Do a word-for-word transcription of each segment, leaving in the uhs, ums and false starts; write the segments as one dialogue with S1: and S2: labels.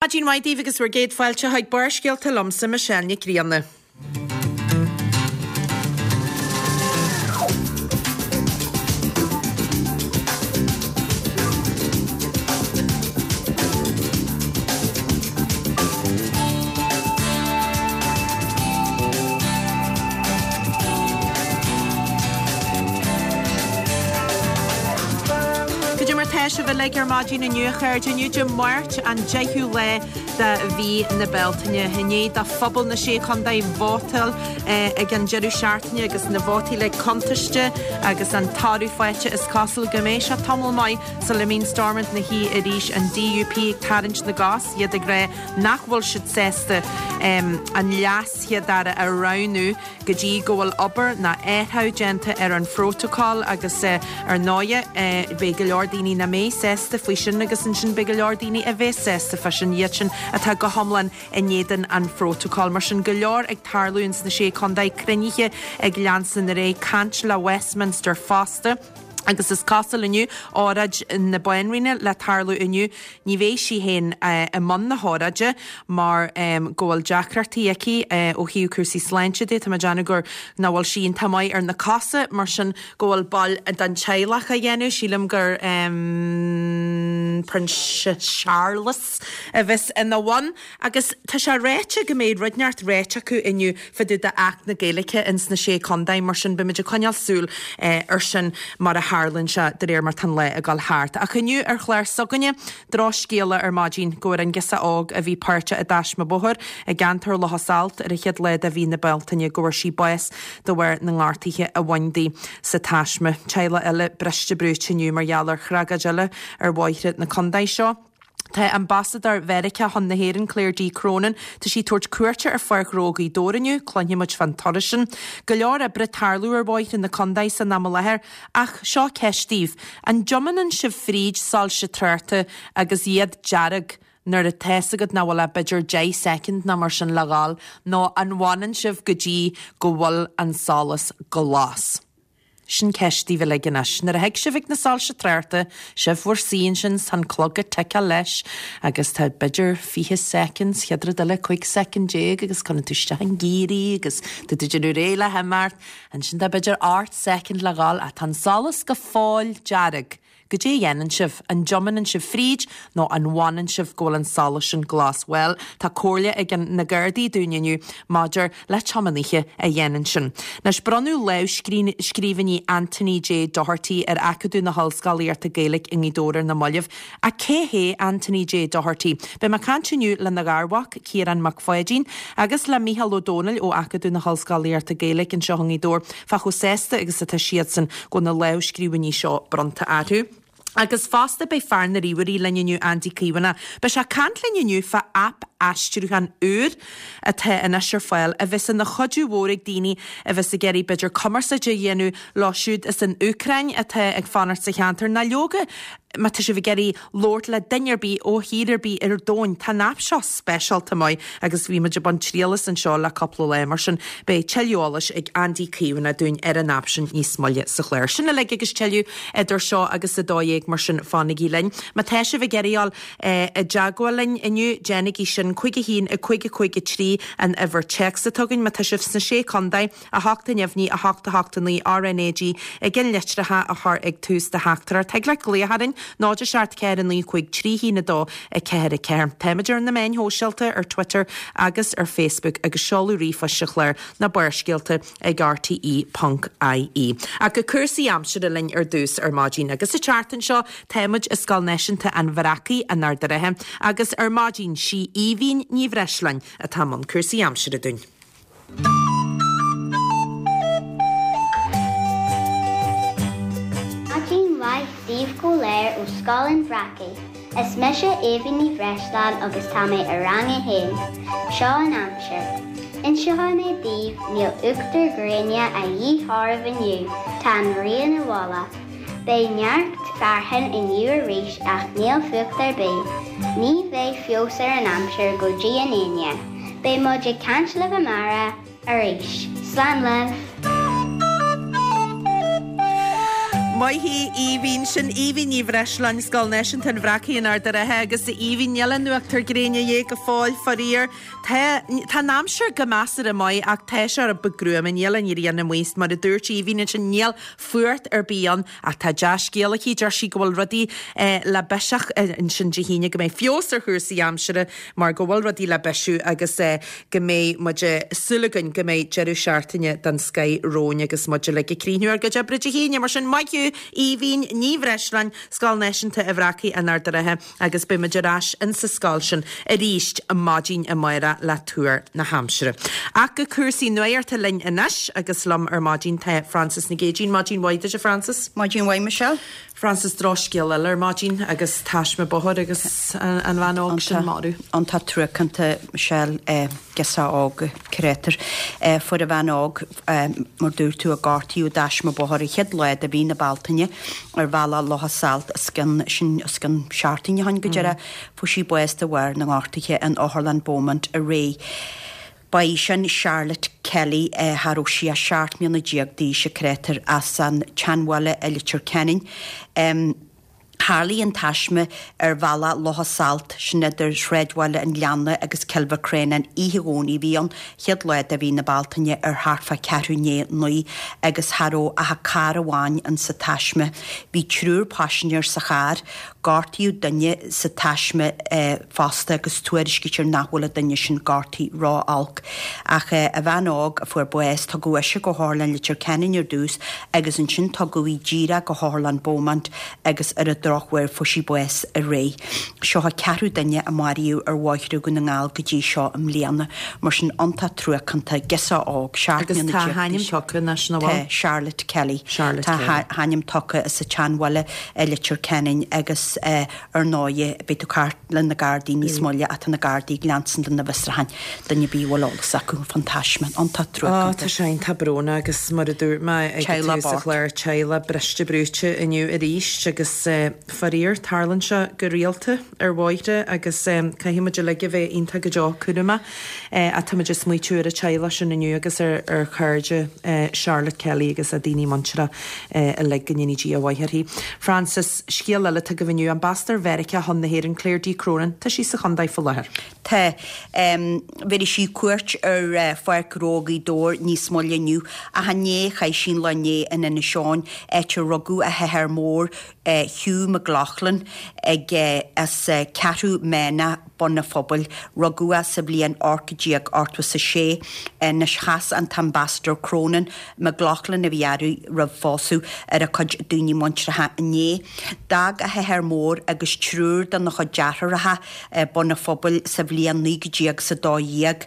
S1: Maidin mhaith daoibh agus bhur gcéad fáilte chuig Barrscéalta liomsa Michelle Nic Grianna. Cad é mar tá sibh uilig ar maidin inniu a chairde? Inniu Dé Máirt an deichiú lá de mhí na Bealtaine. I ndiaidh do phobal na Sé Chontae vótáil ag an deireadh seachtaine agus na vótaí uilig cuntaiste agus an toradh faighte is cosúil go mbeidh sé tamall maith sula mbíonn Stormont ina shuí arís an DUP ag tarraingt na gcos, iad ag rá nach bhfuil siad sásta an leas-chéad-aire a roghnú go dtí go bhfuil obair ná athrú déanta ar an phrótacal agus ar ndóighe beidh go leor daoine nach mbeidh sásta faoi sin agus ansin beidh go leor daoine a bheas sásta fá sin, iad sin atá go hiomlán in éadan an phrótacail. Mar sin go leor ag tarlú ins na Sé Chontae, cruinnithe ag leanstan ar aghaidh, caint le Westminster fosta. Agus is cosúil inniu, óráid na Banríona le tarlú inniu, ní bheidh sí féin i mbun na hóráide mar go bhfuil deacrachtaí aici ó thaobh cúrsaí sláinte de. Tá mé ag déanamh gur nach bhfuil sí iontach maith ar na cosa, mar sin go bhfuil ball den teaghlach á dhéanamh. Sílim gur Prionsa Séarlas a bheas ina bhun. Agus tá sé ráite go mbeidh rud inteacht ráite acu inniu fá dtaobh d'Acht na Gaeilge ins na Sé Contae, mar sin beimid ag coinneáil súil ar sin mar a tharlaíonn sé de réir mar tá an lá ag dul thart. Ach inniu ar chlár s'againne, drochscéala ar maidin go bhfuair an girseach óg a bhí páirteach i dtaisme bóthair i gceantar Locha Salt ar an chéad lá de mhí na Bealtaine go bhfuair sí bás de bharr na ngortuithe a bhain di sa taisme. Teaghlach eile briste brúite inniu mar gheall ar thragóid eile ar bhóithre na contae seo. Tá Ambasadóir Mheiriceá chun na hÉireann, Claire D. Cronin, tá sí ag tabhairt cuairte ar Pháirc Ghnó Ghaoth Dobhair inniu, cluinfidh muid fán turas sin. Go leor oibre ag tarlú ar bhóithre na contae san am i láthair, ach seo ceist daoibh, an dtiomáineann sibh fríd soilse tráchta agus iad dearg nuair atá fhios agat nach bhfuil ach b'fhéidir deich soicind nó mar sin le dhul, nó an bhfanann sibh go dtí go bhfuil an solas glas? Sin ceist daoibh uilig anois. Nuair a thig sibh ag na soilse tráchta, sibh bhur suí ansin 's tá an clog ag ticeáil leis agus tá b'fhéidir fiche soicind, chéad rud eile cúig soicind déag agus cuireann tú isteach i ngiar í agus tá tú ag déanamh réidh le himeacht, ansin tá b'fhéidir ocht soicind le dhul ach tá an solas go fóill dearg. Goidé a dhéanann sibh? An dtiomáineann sibh fríd nó an bhfanann sibh go bhfuil an solas sin glas? Bhuel, tá comhairle ag an na Gardaí dúinn inniu maidir le tiománaithe a dhéanann sin. Anois, bronnadh lámhscríbhinní Anthony J Doherty ar Acadamh na hOllscolaíochta Gaeilge i nGaoth Dobhair ar na mallaibh. Ach cé hé Anthony J Doherty? Beidh mé ag caint inniu lena gharmhac, Ciarán Mac Pháidín, agus le Mícheál Ó Domhnaill ó Acadamh na hOllscolaíochta Gaeilge anseo i nGaoth Dobhair fá chomh sásta agus atá siadsan go bhfuil na lámhscríbhinní seo bronnta orthu. Agus fosta beidh fear na ríomhairí linn inniu, Andy Caomhánach. Beidh sé ag caint linn inniu fá aip aistriúcháin úr atá anois ar fáil a bheas ina chuidiú mhór ag daoine a bheas ag iarraidh b'fhéidir cumarsáid a dhéanamh leo siúd as an Úcráin atá ag fanacht sa cheantar ná leoga má tá sibh ag iarraidh labhairt le duine ar bith ó thír ar bith ar domhan, tá an aip seo speisialta maith agus bhí muid ag baint triail as anseo le cúpla lá, mar sin beidh tuilleadh eolais ag Andy Caomhánach dúinn ar an aip sin níos moille sa chlár. Sin uilig agus tuilleadh idir seo agus a dó dhéag, mar sin fanaigí linn. Má tá sibh ag iarraidh dul i dteagmháil linn inniu, déanaigí sin, cúig a haon, a cúig a cúig a trí an uimhir téacs atá againn. Má tá sibh sna Sé Chontae, a hocht a neamhní, a hocht a hocht a naoi RnaG ag an litreacha a chur ag tús do theachtaireacht. Thig leat glaoch orainn, náid a seacht ceathair a naoi cúig trí haon a dó a ceathair a ceathair. Táimid ar na meáin shóisialta, ar Twitter agus ar Facebook agus seoladh ríomhphoist an chláir ná Barrscéalta ag rte ponc ie. Ach go cúrsaí aimsire linn ar dtús ar maidin agus sa tseachtain seo táimid i Scoil Náisiúnta an Bhreacaigh in Ard an Rátha agus ar maidin sí Aoibhín Ní Bhreisleáin atá i mbun cúrsaí aimsire dúinn.
S2: Maidin mhaith daoibh go léir ó Scoil an Bhreacaigh. Is mise Aoibhín Ní Bhreisleáin agus tá mé i rang a haon. Seo an aimsir. Inseoidh mé daoibh, níl uachtar gréine a dhíth oraibh inniu, tá an ghrian i bhfolach. Beidh neart fearthainn inniu arís ach níl fuacht ar bith. Ní bheidh feabhas ar an aimsir go dtí an Aoine. Beidh muid ag caint libh amárach arís. Slán libh!
S1: Maith thú Aoibhín sin Aoibhín Ní Bhreisleáin Scoil Náisiúnta an Bhreacaigh in Ard an Rátha agus Aoibhín níl an uachtar gréine dhéag go fóill faraor. Tá tá an aimsir go measartha maith ach tá sé rud beag gruama níl an ghrian amuigh mar a dúirt Aoibhín ansin níl fuacht ar bith ann ach tá dea-scéal aici deir sí go bhfuil rudaí eh, le biseach eh, ansin Dé hAoine go mbeidh feabhas ar chúrsaí aimsire mar go bhfuil rudaí le bisiú agus eh, go mbeidh muid súil againn go mbeidh deireadh seachtaine den scoth romhainn agus muid le ag críochnú ár gcuid oibre Dé hAoine mar sin maith thú Aoibhín Ní Bhreisleáin Scoil Náisiúnta an Bhreacaigh in Ard an Rátha agus beidh muid ar ais insa scoil sin arís maidin amárach le tuar na haimsire. Ach go cúrsaí nuachta linn anois agus liom ar maidin tá Francis Nic Géadaigh maidin mhaith duit Francis.
S3: Maidin mhaith Michelle?
S1: Francis drochscéal eile ar maidin agus taisme bóthair agus an bhean óg sin marbh.
S3: Iontach truacánta Michelle girseach óg creidtear fuair an bhean óg mar dúirt tú a gortaíodh i dtaisme bóthair an chéad lá de mhí na Bealtaine ar bhealach Locha Salt scan sin scan seachtain ó shin go deireadh fuair sí bás de bharr na ngortuithe in Otharlann Beaumont aréir. Ba í sin Charlotte Kelly cha raibh sí ach seacht mbliana déag d'aois a creidtear as an tSeanbhaile i Leitir Ceanainn. Um, Tharlaigh an taisme ar bhealach Locha Salt sin idir Sráidbhaile an Ghleanna agus Cill Mhic Réanáin oíche Dhomhnaigh bhí an chéad lá de mhí na Bealtaine ar thart fá ceathrú i ndiaidh a naoi agus cha raibh ach carr amháin in sa taisme. Bhí triúr paisinéir sa charr, gortaíodh duine sa taisme eh, fosta agus tuairiscítear nach bhfuil an duine sin gortaithe ró-olc. Ach eh, an bhean óg a fuair bás tugadh ise go hOtharlann Leitir Ceanainn ar dtús agus ansin tugadh í díreach go hOtharlann Beaumont agus ar an drochuair fuair sí bás aréir. Seo an ceathrú duine a maraíodh ar bhóithre Dhún na nGall go dtí seo i mbliana, mar sin iontach truacánta girseach óg
S1: Agus tá a hainm tugtha national
S3: Tá Charlotte Kelly.
S1: Charlotte
S3: Tá
S1: Kelly.
S3: a hainm tugtha sa tSeanbhaile i Leitir Ceanainn agus eh, ar ndóigh beidh tú cairt le na Gardaí níos moille ata na Gardaí leanstan de na bhfiosrúcháin duine bí bhfuil eolas acu fán taisme iontach
S1: Á
S3: truacánta.
S1: tá sé tá brónach agus mar a dúirt mé ag
S3: Teaghlach
S1: tús an
S3: bocht.
S1: chláir teaghlach briste brúite inniu arís agus eh, faraor tarlaíonn sé go rialta ar bhóithre agus um, caithfimid uilig a bheith iontach go deo cúramach eh, táimid ag smaoitiú ar an teaghlach sin inniu agus ar ar chairde eh, Charlotte Kelly agus a daoine muinteartha eh, uilig go ndéana Dia maith uirthi. Francis scéal eile go bhfuil ambasadóir Mheiriceá chun na hÉireann Claire D. Cronin, tá sí sa chontae faoi láthair.
S3: Tá um, bhí sí cuairt ar uh, Pháirc Ghnó Ghaoth Dobhair níos moille inniu ach inné chaith sí an lá inné in Inis Eoghain áit ar rugadh a hathair mór uh, Hugh McLaughlin ag uh, as uh, Ceathrú Méana Bun an Phobail rugadh é sa bhliain ocht déag ochtó a sé anois chas an t-ambasadóir Cronin McLaughlin a bhí uirthi roimh phósadh ar a cuid daoine muinteartha inné. D'fhág a hathair mór agus triúr den a chuid deartháireacha Bun an Phobail sa bhliain naoi déag sa dó dhéag.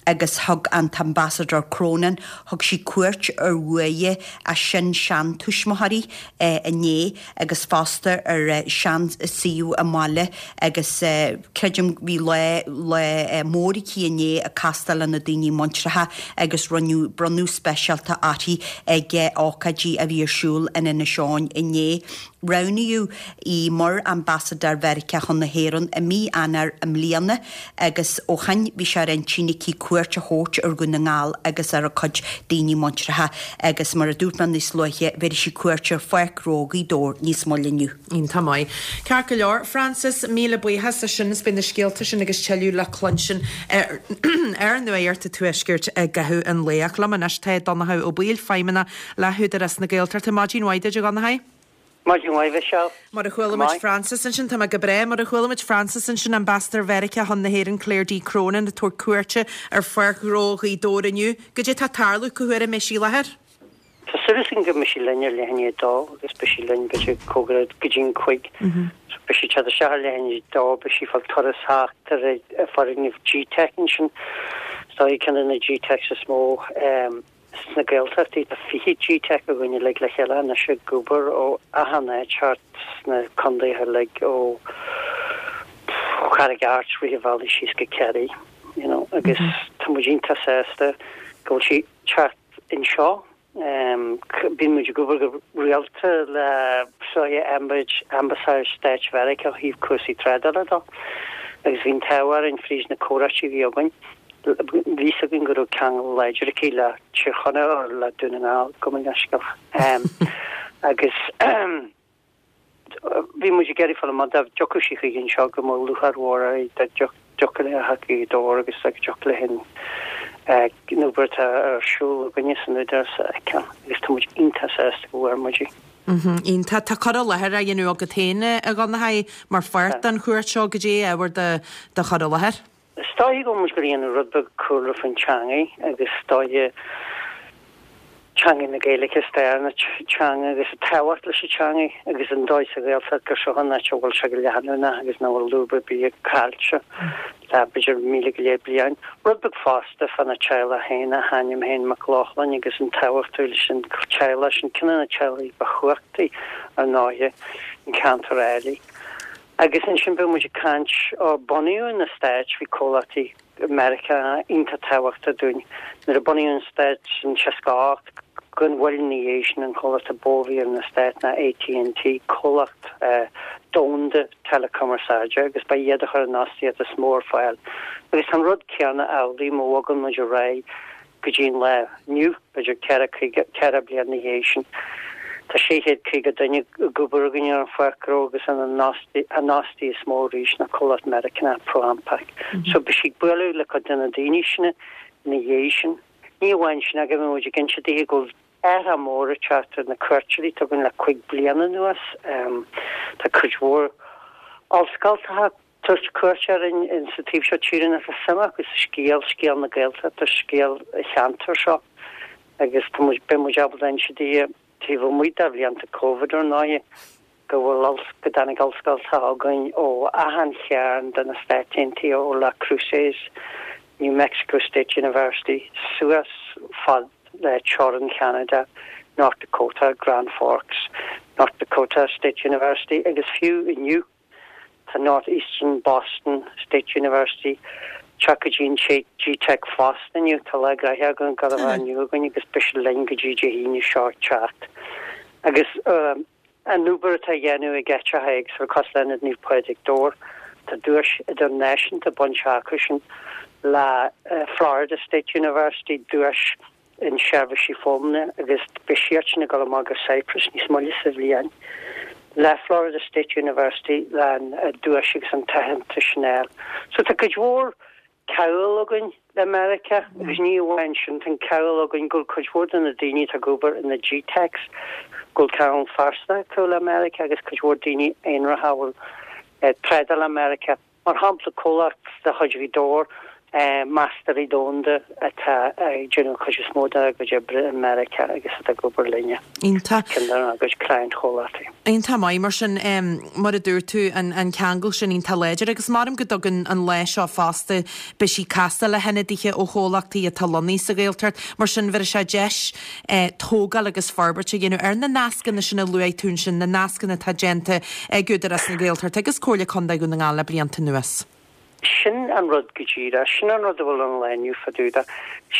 S3: agus thug an t-ambasadóir Cronin thug sí cuairt ar uaigh a sin-seantuismitheoirí eh, inné agus fosta ar eh, seansuíomh a mbaile agus eh, creidim bhí le le eh, mór aici inné ag castáil na daoine muinteartha agus rinneadh bronnadh speisialta uirthi ag eh, ócáidí a bhí ar siúl in Inis Eoghain inné. Roghnaíodh í mar ambasadóir Mheiriceá chun na hÉireann i mí Eanáir i mbliana agus ó shin bhí sé ar intinn aici cuairt a thabhairt ar Dhún na nGall agus ar a cuid daoine muinteartha agus mar a dúirt mé níos luaithe bhí sí cuairt ar Pháirc Ghnó Ghaoth Dobhair níos moille inniu.
S1: Iontach maith. Ceart go leor Francis míle buíochas as sin is beidh na scéalta sin agus tuilleadh le cluinstin ar ar Nuacht an Tuaiscirt i gcaitheamh an lae liom anois tá Donnchadh Ó Baoill feidhmeannach le hÚdarás na Gaeltachta maidin mhaith duit a Dhonncha.
S4: Maidin mhaith Michelle.
S1: Mar a chuala muid Francis ansin tá go breá mar a chuala muid Francis ansin ambasadóir Mheiriceá chun na hÉireann Claire D. Cronin ag tabhairt cuairte ar Pháirc Ghnó Ghaoth Dobhair inniu, Cad é tá ag tarlú cá huair a mbeidh sí i láthair?
S4: Tá súil againn go mbeidh sí linn ar leathuair i ndiaidh a dó agus beidh sí linn b'fhéidir cóngarach go dtí an cúig. Beidh sí te se lehin dó be si fá turas thart ar foirgneamh G-Tech ansin. Tá ceann de na G-Techs is mó um, sna Gaeltachtaí tá fiche G-Tech againn le le chéile na sé gobar ó achan áit sna contaetha uilig ó Charraig Airt ri bhí síos go Kerry you know, agus mm -hmm. tá muid iontach sásta go bhfuil sí teacht anseo um, bíonn muid ag obair go rialta le soie ambasáid Stáit Mheiriceá ó thaobh cúrsaí trádála de agus bhí an t-ádh orainn fríd na comhráite a bhí againn bhí againn go raibh ceangal láidir aici le Tír Chonaill le Dún na nGall go leisceach. Um, Agus bhí muid ag iarraidh fáil amach dá dtiocfadh sí chuig anseo go mbeadh lúcháir mhór uirthi dá dtiocfadh léi a theacht go Gaoth Dobhair agus dá dtiocfadh léi an obair atá ar siúl againne san Údarás a fheiceáil agus tá muid iontach sásta go bhfuair muid í.
S1: Iontach. Tá cur i láthair á dhéanamh agat féin, a Dhonnchaidh, mar pháirt den chuairt seo. Goidé ábhar do chur i láthair?
S4: Is dóiche go bhfuil muid ag déanamh rud beag cúlra faoin teangaidh agus is dóiche teanga na Gaeilge, stair na teanga agus an tábhacht leis an teangaidh agus an dóigh sa Ghaeltacht gur seo an áit a bhfuil sé go leanúnach agus nach bhfuil lúb ar bith caillte le b'fhéidir míle go leith bliain. Rud beag fosta fána teaghlach féin, a hainm féin Mac Lochlainn agus an tábhacht leis an teaghlach sin, ceann de na teaghlaigh ba chumhachtaí ar ndóighe an ceantar áirithe. Agus ansin beidh muid ag caint ó bunaíodh na Stáit, bhí comhlachtaí Meiriceánacha iontach tábhachtach dúinn. Nuair a bunaíodh an Stát in seasca a hocht, gan mhoill ina dhiaidh sin, an comhlacht a ba mhó a bhí ar na Stáit ná AT&T, comhlacht domhanda teileachumarsáide, agus ba iad a chuir an fhostaíocht is mó ar fáil. Agus tá an rud céanna amhlaidh má bhogann muid ar aghaidh go dtí an lá inniu, b'fhéidir ceithre caoga, ceithre bliana ina dhiaidh sin. Tá sé chéad caoga duine ag obair againn ar an pháirc ghnó agus an fhostaí is mó arís ná comhlacht Meiriceánach, ProAmpac. So beidh sí ag bualadh le cuid de na daoine sin ina dhiaidh sin. Ní amháin sin ach beidh muid ag inse daoithe go bhfuil athrú mór ag teacht ar na cuairteoirí atá againn le cúig bliana anuas. Tá cuid mhór ollscoltacha ag tabhairt cuairt orainn in sa taobh seo tíre nach bhfuil suim acu sa scéal, scéal na Gaeltachta, scéal an cheantair seo agus tá muid, beidh muid ábalta inse daoithe Taobh amuigh de bhlianta Covid, ar ndóigh, go bhfuil, go dtáinig ollscoltacha chugainn ó achan chearn de na Stáit Aontaithe, ó Las Cruces, New Mexico State University, suas fad le teorainn Cheanada, North Dakota, Grand Forks, North Dakota State University agus fiú inniu, Tá Northeastern Boston State University ag teacht go dtí an GTeic fosta inniu. Tá lá gnoitheach againn ag dul a bheith inniu againn agus beidh siad linn go dtí Dé hAoine seo ag teacht. Agus an obair atá á dhéanamh ag áiteacha éagsúla cosúil le Ionad Naomh Pádraig Dobhar, tá duais idirnáisiúnta bainte acu sin le Florida State University, duais in seirbhísí foghlama agus beidh siadsan ag dul amach go Cyprus níos moille sa bhliain le Florida State University le an duais agus an t-aitheantas sin a fháil. So tá cuid mhór ceangal againn le Meiriceá agus ní amháin sin, tá an ceangal againn go bhfuil cuid mhór de na daoine atá ag obair in na GTeics go bhfuil ceangal phearsanta acu le Meiriceá agus cuid mhór daoine aonaracha a bhfuil trádáil le Meiriceá. Mar shampla, comhlacht de chuid Ghaoth Dobhair, Meastóirí Domhanda atá ag déanamh an chuid is mó dá gcuid oibre i Meiriceá agus atá ag obair linne.
S1: Iontach.
S4: Ceann dár gcuid cliant-chomhlachtaí.
S1: Iontach maith mar sin, mar a dúirt tú, an ceangal sin iontach láidir agus maram go dtugann an lá seo fosta, beidh sí ag castáil le hionadaithe ó chomhlachtaí atá lonnaithe sa Ghaeltacht, mar sin bheir sé deis tógáil agus forbairt a dhéanamh ar na nascanna sin a luaigh tú ansin, na nascanna atá déanta ag Údarás na Gaeltachta agus Comhairle Contae Dhún na nGall le blianta anuas.
S4: Sin an rud go díreach. Sin an rud a bhfuil an lá inniu fá dtaobh de.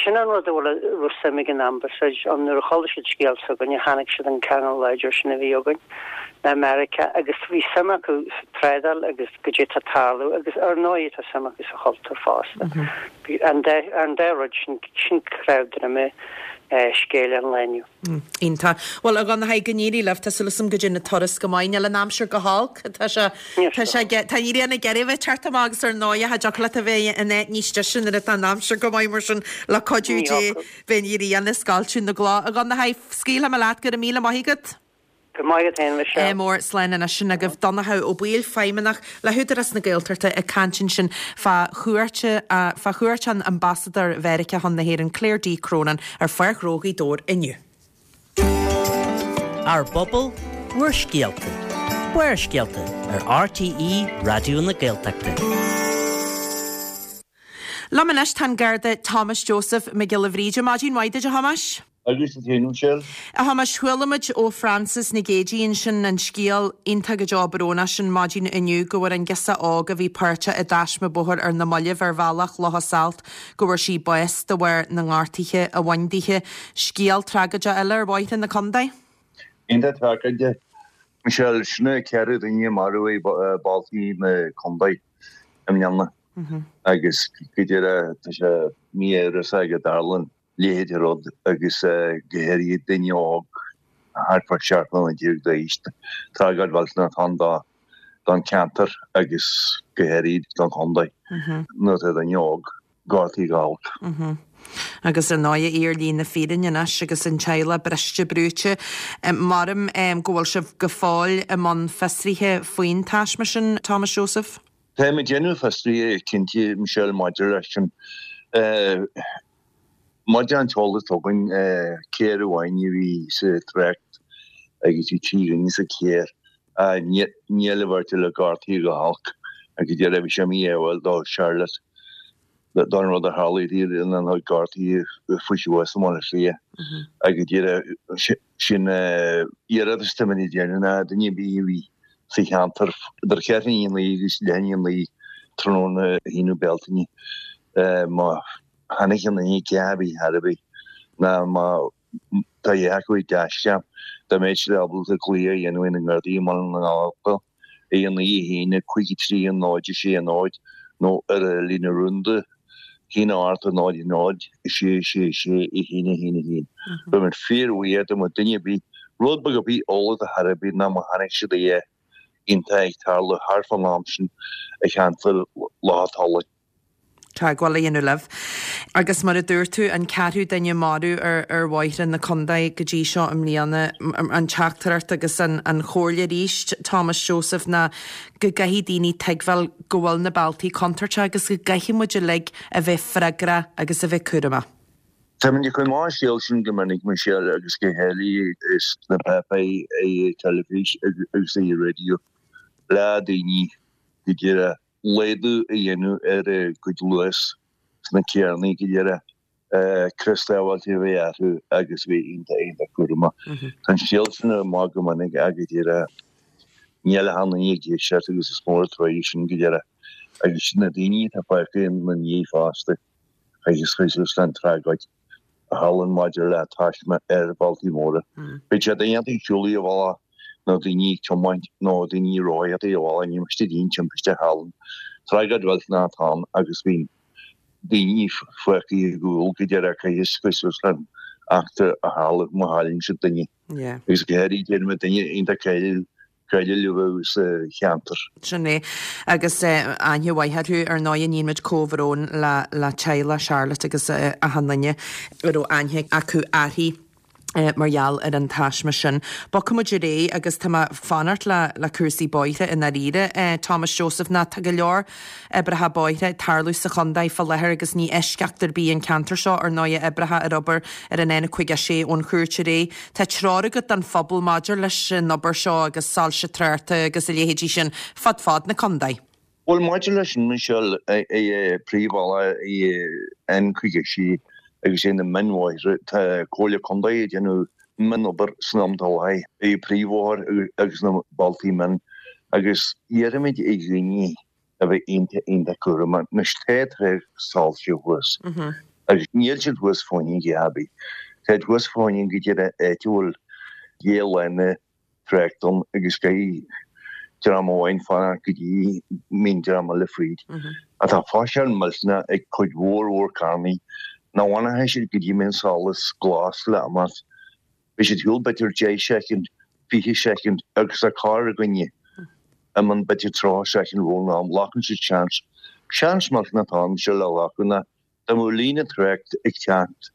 S4: Sin an rud a bhfuil a raibh suim ag an Ambasáid ann nuair a chuala siad scéal s'againne, chonaic siad an ceangal láidir sin a bhí againn le Meiriceá agus bhí suim acu sa trádáil agus goidé atá ag tarlú agus ar ndóigh tá suim acu sa chultúr fosta. An dá an dá rud sin, sin cnámh droime scéal an lae inniu.
S1: Iontach. Bhuel, a Dhonnchaidh, go n-éirí libh. Tá súil agam go dtéann an turas go maith. Níl an aimsir go holc. Tá sé, tá sé, tá an ghrian ag iarraidh a bheith ag teacht amach agus ar ndóigh, cha dtiocfadh leat a bheith in áit níos deise nuair atá an aimsir go maith mar sin, le cuidiú Dé, beidh an ghrian ag scoilteadh na gcloch. A Dhonnchaidh, scaoilfidh mé leat, go raibh míle maith agat.
S4: Go maith agat féin, Michelle.
S1: Ádh mór, slán anois. Sin agaibh Donnchadh Ó Baoill, Feidhmeannach le hÚdarás na Gaeltachta ag caint ansin fá chuairt fá chuairt an Ambasadóir Mheiriceá chun na hÉireann, Claire D. Cronin, ar Pháirc Ghnó Ghaoth Dobhair inniu.
S5: Ár bpobal, bhur scéalta. Barrscéalta ar RTÉ Raidió na Gaeltachta.
S1: Liom anois tá an Garda Thomas Joseph Mac Giolla Bhríde. Maidin mhaith duit a Thomáis.
S6: Agus duit féin, Michelle.
S1: A Thomáis, chuala muid ó Frances Nic Géidigh ansin an scéal iontach go deo brónach sin maidin inniu go bhfuair an girseach óg a bhí páirteach i dtaisme bóthair ar na mallaibh ar bhealach Locha Salt go bhfuair sí bás de bharr na ngortuithe a bhain dithe. Scéal tragóideach eile ar bhóithre na contae.
S6: Iontach tragóideach, Michelle. Sin é ceithre duine marbh i bailte na contae i mbliana agus go díreach tá sé mí-amhrasach go dtarlaíonn leithéid de rud agus go háirithe duine óg thart fá seacht mbliana déag d'aois. Tragóid mhillteanach atá ann don cheantar agus go háirid don chontae nuair atá duine óg gortaithe go holc.
S1: Agus ar ndóigh ar shlí na fírinne anois agus an teaghlach briste brúite. Maram go bhfuil sibh go fóill i mbun fiosraithe faoin taisme sin, Thomas Joseph?
S6: Táim ag déanamh fiosraithe cinnte, Michelle, maidir leis sin. Maidir an t-eolas atá againn, carr amháin a bhí sa trácht agus bhí trí dhuine sa charr. Níl an bheirt eile gortaithe go holc agus déarfainn bhí sé míádhúil do Charlotte don rud a tharla di ina gortaithe fuair sí bás i mBaile Átha Cliath agus déarfainn sin iarratas atá muid ag déanamh ná duine ar bith a bhí sa cheantar idir ceathrú i ndiaidh a naoi agus leath i ndiaidh a naoi tráthnóna aonú Bealtaine má Chonaic aon duine a dhath ar bith chor ar bith ná má tá a dhath acu ag dashcam, dá mbeadh siad ábalta glaoch a dhéanamh ar na Gardaí i mBaile na nGall ar a naoi a haon a cúig a trí a náid a sé a náid nó ar an líne rúnda haon a hocht a náid a náid a sé a sé a sé a haon a haon a haon. Beidh muid fíorbhuíoch dá mbeadh duine ar bith rud beag ar bith eolas a chor ar bith ná má chonaic siad a dhath iontach ag tarlú thart fán am sin i cheantar Loch an Tulaigh.
S1: teagmháil a dhéanamh libh. Agus mar a dúirt tú, an ceathrú duine marbh ar ar bhóithre na contae go dtí seo i mbliana, an teachtaireacht agus an an chomhairle arís, Thomas Joseph, ná go gcaithfidh daoine tuigbheáil go bhfuil na bealtaí contúirteach agus go gcaithfidh muid uilig a bheith freagrach agus a bheith cúramach.
S6: Táimid ag cur amach an scéal sin go minic, Michelle, agus go háirithe sna páipéir, ar teilifís agus ar an raidió le daoine go díreach. laghdú a dhéanamh ar a gcuid luas sna carrannaí go díreach, crios sábháilte a bheith orthu agus a bheith iontach iontach cúramach. Tá an scéal sin amach go minic ach go díreach níl achan duine ag éisteacht agus is mór an truaighe sin go díreach agus na daoine atá fágtha ina ndiaidh fosta agus chuir suas le an tragóid a tharlaíonn maidir le taisme ar bhealtaí móra. Beidh sé duine ag siúl ar an bhealach nó daoine ag tiomáint nó daoine ag rothaíocht ar an bhealach, ní miste aon timpiste a tharlaíonn. Tragóid mhillteanach atá ann agus bíonn daoine fágtha ar gcúl go díreach caithfidh suas le an eachtra a tharla má chailleann siad duine. Agus go háirithe déarfaidh duine iontach cáiliúil cáiliúil a bheadh sa cheantar.
S1: Sin é. Agus aithne mhaith orthu, ar ndóigh, níonn muid comhbhrón le le teaghlach Charlotte agus achan duine a raibh aithne acu uirthi mar gheall ar an taisme sin. Bogfaidh muid ar aghaidh agus tá mé ag fanacht le le cúrsaí bóithre i ndáiríre, Thomas Joseph, ná tá go leor oibreacha bóithre ag tarlú sa chontae fá láthair agus ní eisceacht ar bith an ceantar seo, ar ndóigh, oibreacha ar obair ar an N caoga a sé ón Chúirt ar aghaidh. Tá treoir agat don phobal maidir leis an obair seo agus soilse tráchta agus a leithéidí sin fud fad na contae.
S6: Bhuel, maidir leis an Michelle, príomhbhealach N caoga a sé agus é na mionbhóithre, tá Comhairle Contae ag déanamh mionobair san am atá i láthair, príomhbhóthar agus na bealtaí mion, agus iarraimid ar dhaoine a bheith iontach, iontach cúramach. Anois tá trácht soilse thuas agus níl siad thuas fá choinne a dhath ar bith. Táid thuas fá choinne go díreach áit a bhfuil dhá lána trácht ann agus caithfidh dream amháin fanacht go dtí mbíonn dream eile fríd. Ach tá faisean millteanach ag cuid mhór mhór carrannaí nach bhfanfaidh siad go dtí mbíonn solas glas le imeacht. Beidh siad ar shiúl b'fhéidir deich soicind, fiche soicind agus tá carr i gcoinne a mbíonn b'fhéidir tríocha soicind roimh an am, glacann siad seans. Seans millteanach atá ann seo le glacadh ná dá mbeadh líne trácht ag teacht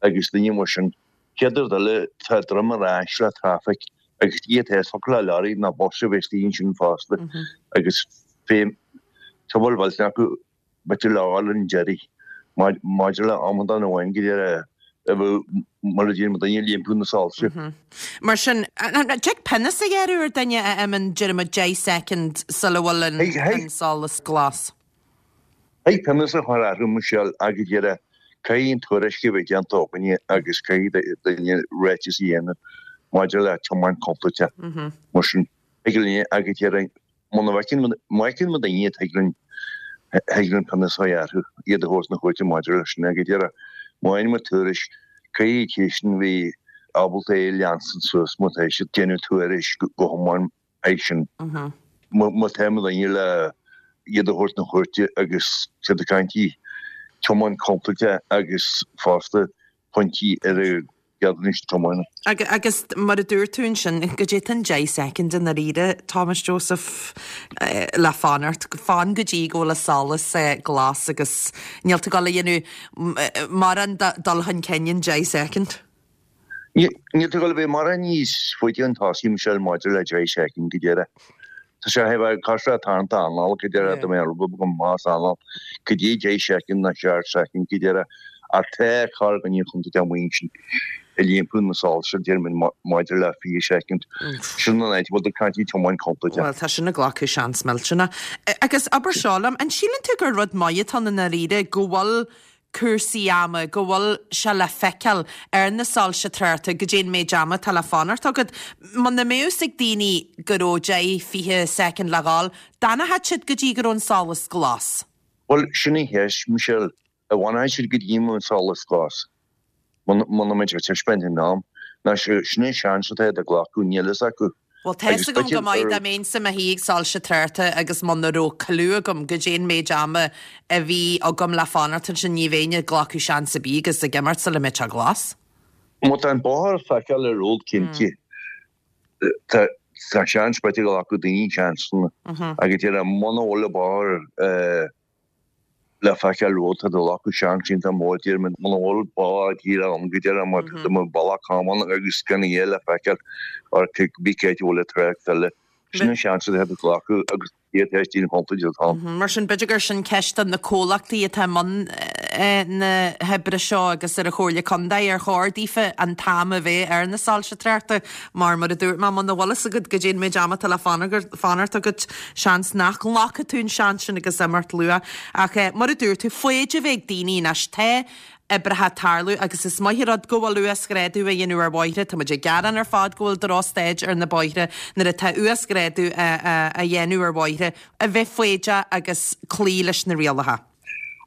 S6: agus duine mar sin, chéad rud eile tá droim ar ais le traffic agus iad tá thiocfadh le leoraí nó bus a bheith istigh ansin fosta agus fé tubair mhillteanach acu b'fhéidir le fháil an deiridh maidir le amadán amháin go deireadh a bheadh mar a deir mo dhuine ag iompú na soilse.
S1: Mar sin, an dtig pionós a ghearradh ar duine a imíonn déarfaidh muid deich soicind sula bhfuil an solas glas?
S6: Thig pionós a chur orthu, Michelle, ach go deireadh, caithfidh an tuairisc a bheith déanta againne agus caithfidh duine ráiteas a dhéanamh maidir le tiomáint contúirteach. Mar sin, thig linn ach go deireadh, Muna bhfeiceann, má fheiceann muid daoine thig linn, thig linn pionós a chur orthu, iad a thabhairt na cúirte maidir leis sin. Ag an deireadh, má fhaigheann muid tuairisc, caithfidh an té sin bheith ábalta é a leanstan suas má tá siad ag déanamh tuairisc go hiomlán é sin. Má tá muid daoine le iad a thabhairt na cúirte agus siad ag caint tiomáint contúirteach agus fosta pointí ar a ceadúnais tiomána.
S1: Agus mar a dúirt tú ansin, goidé tá an deich soicind i ndáiríre, Thomas Joseph, le fanacht, fan go dtí go bhfuil an solas glas agus níl tú ag dul a dhéanamh mórán dul chun cinn in deich soicind.
S6: Níl tú ag dul a bheith mórán níos faide chun tosaigh, Michelle, maidir le deich soicind go deireadh. Tá sé a bheith cosúil le tarraingt anála go deireadh, dá mbeadh rud go maith anall goidé deich soicind nó seacht soicind go deireadh ach tá carr againne i gContae Mhaigh Eo sin ag iompú na soilse déarfainn maidir le fiche soicind. Sin an áit a bhfuil tú ag caint ag tiomáint contúirteach.
S1: Bhuel, tá sin ag glacadh seans millteanach. Agus abair seo liom, an síleann tú gur rud maith atá ann i ndáiríre go bhfuil cúrsaí ama, go bhfuil sé le feiceáil ar na soilse tráchta goidé an méid ama atá le fanacht agat. Muna mbeadh fhios ag daoine go raibh deich, fiche soicind le dhul, d'fhanfadh siad go dtí go raibh an solas glas.
S6: Bhuel, sin í an cheist, Michelle. An bhfanfaidh siad go dtí go mbeidh an solas glas? Muna mbeidh sé ag taispeáint an am, ná sin é seans atá iad ag glacadh, níl fhios acu.
S1: Bhuel, tá fhios agam go maith dá mbeinnse i mo shuí ag soilse tráchta agus muna raibh clue agam goidé an méid ama a bhí agam le fanacht ansin ní bheinn ag glacadh seans ar bith agus ag imeacht sula mbeidh sé glas.
S6: Má tá an bóthar le feiceáil ar road cinnte, tá seans b'fhéidir go nglacfadh daoine seansanna agus deir muna bhfuil an bóthar le feiceáil romhat tá tú ag glacadh seans iontach mór déarfainn muna bhfuil bóthar díreach ann go deireadh mar tá mo bealach camán agus gan a dhath le feiceáil or cibé cá háit a bhfuil an trácht eile. Sin an seans atá tú ag glacadh agus iad tar éis daoine contúirt atá ann.
S1: Mar sin b'fhéidir gur sin ceist do na comhlachtaí atá i mbun na hoibre seo agus ar an Chomhairle Contae ar chóir daofa an t-am a bheith ar na soilse tráchta mar mar a dúirt mé muna bhfuil fhios agat goidé an méid ama atá le fanacht agat seans nach nglacfaidh tú an seans sin agus imeacht luath. Ach mar a dúirt tú, foighid a bheith ag daoine anois. Tá oibreacha ag tarlú agus is maith an rud go bhfuil uasghrádú á dhéanamh ar bhóithre. Tá muid ag gearán ar fad go bhfuil drochstaid ar na bóithre nuair atá uasghrádú á dhéanamh ar bhóithre, a bheith foighdeach agus cloí leis na rialacha.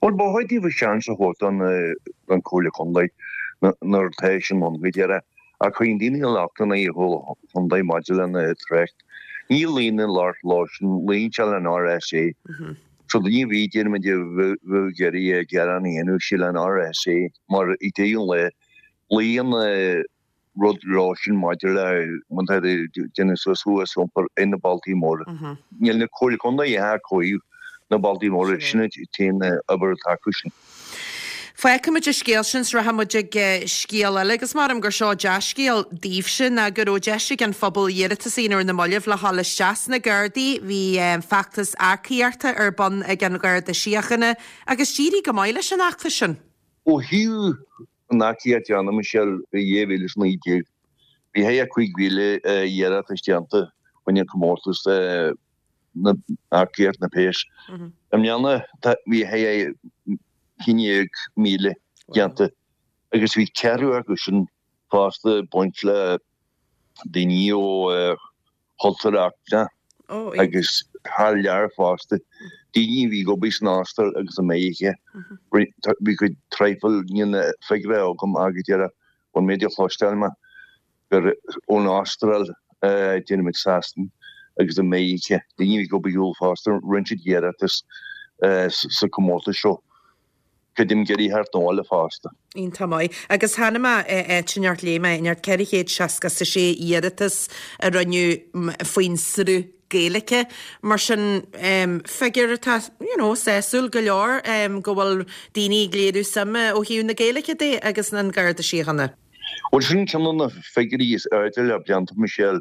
S6: Bhuel, ba chóir daofa seans a thabhairt don Chomhairle Contae nuair atá sin ann go deireadh. Ach cuireann daoine lochtanna ar an Chomhairle Contae maidir lena trácht. Ní luíonn an locht leo sin, luíonn sé le an RSA. So duine ar bith, déarfaimid, a bheadh ag iarraidh gearán a dhéanamh, sé le an RSA mar ag deireadh an lae, luíonn rud leo sin maidir le má tá ag déanamh suas thuas iompar ar na bailtí móra. Níl na Comhairle Contae ag cloí na bailtí móra, sin an t-aon obair atá acu sin.
S1: Fágfaimid an scéal sin 's rachaidh muid ag scéal eile agus maram gur seo dea-scéal daoibhse ná go raibh deis ag an phobal iarratas a dhéanamh ar na mallaibh le dhul isteach sna Gardaí. Bhí feachtas earcaíochta ar bun ag an Gharda Síochána agus d'éirigh go maith leis an fheachtas sin.
S6: Ó thaobh an earcaíocht de, a Michelle, i dhá mhíle is naoi déag, bhí thart ar cúig mhíle iarratas déanta fá choinne comórtas na earcaíocht na péas. I mbliana bhí thart ar haon déag míle déanta agus bhí ceathrú acu sin fosta ag baint le daoine ó chultúr eachtrach agus thar lear fosta, daoine a bhí ag obair san Astráil agus i Meiriceá. Bhí cuid traidhfil níl na figiúirí agam ach go deireadh ón méid a chloisteáil mé gur ón Astráil, déarfaimid Sasana agus i Meiriceá, daoine a bhí ag obair thall fosta, rinne siad iarratas sa chomórtas seo. Creidim ag iarraidh theacht abhaile fosta.
S1: Iontach maith. Agus chonaic mé áit inteacht, léigh mé inteacht ceithre chéad seasca is a sé iarratas a rinneadh faoin sruth Gaeilge. Mar sin, figiúr atá, you know, sásúil go leor go bhfuil daoine ag léiriú suime ó thaobh na Gaeilge de agus an Garda Síochána.
S6: Bhuel, sin ceann de na figiúirí is airde le blianta, Michelle,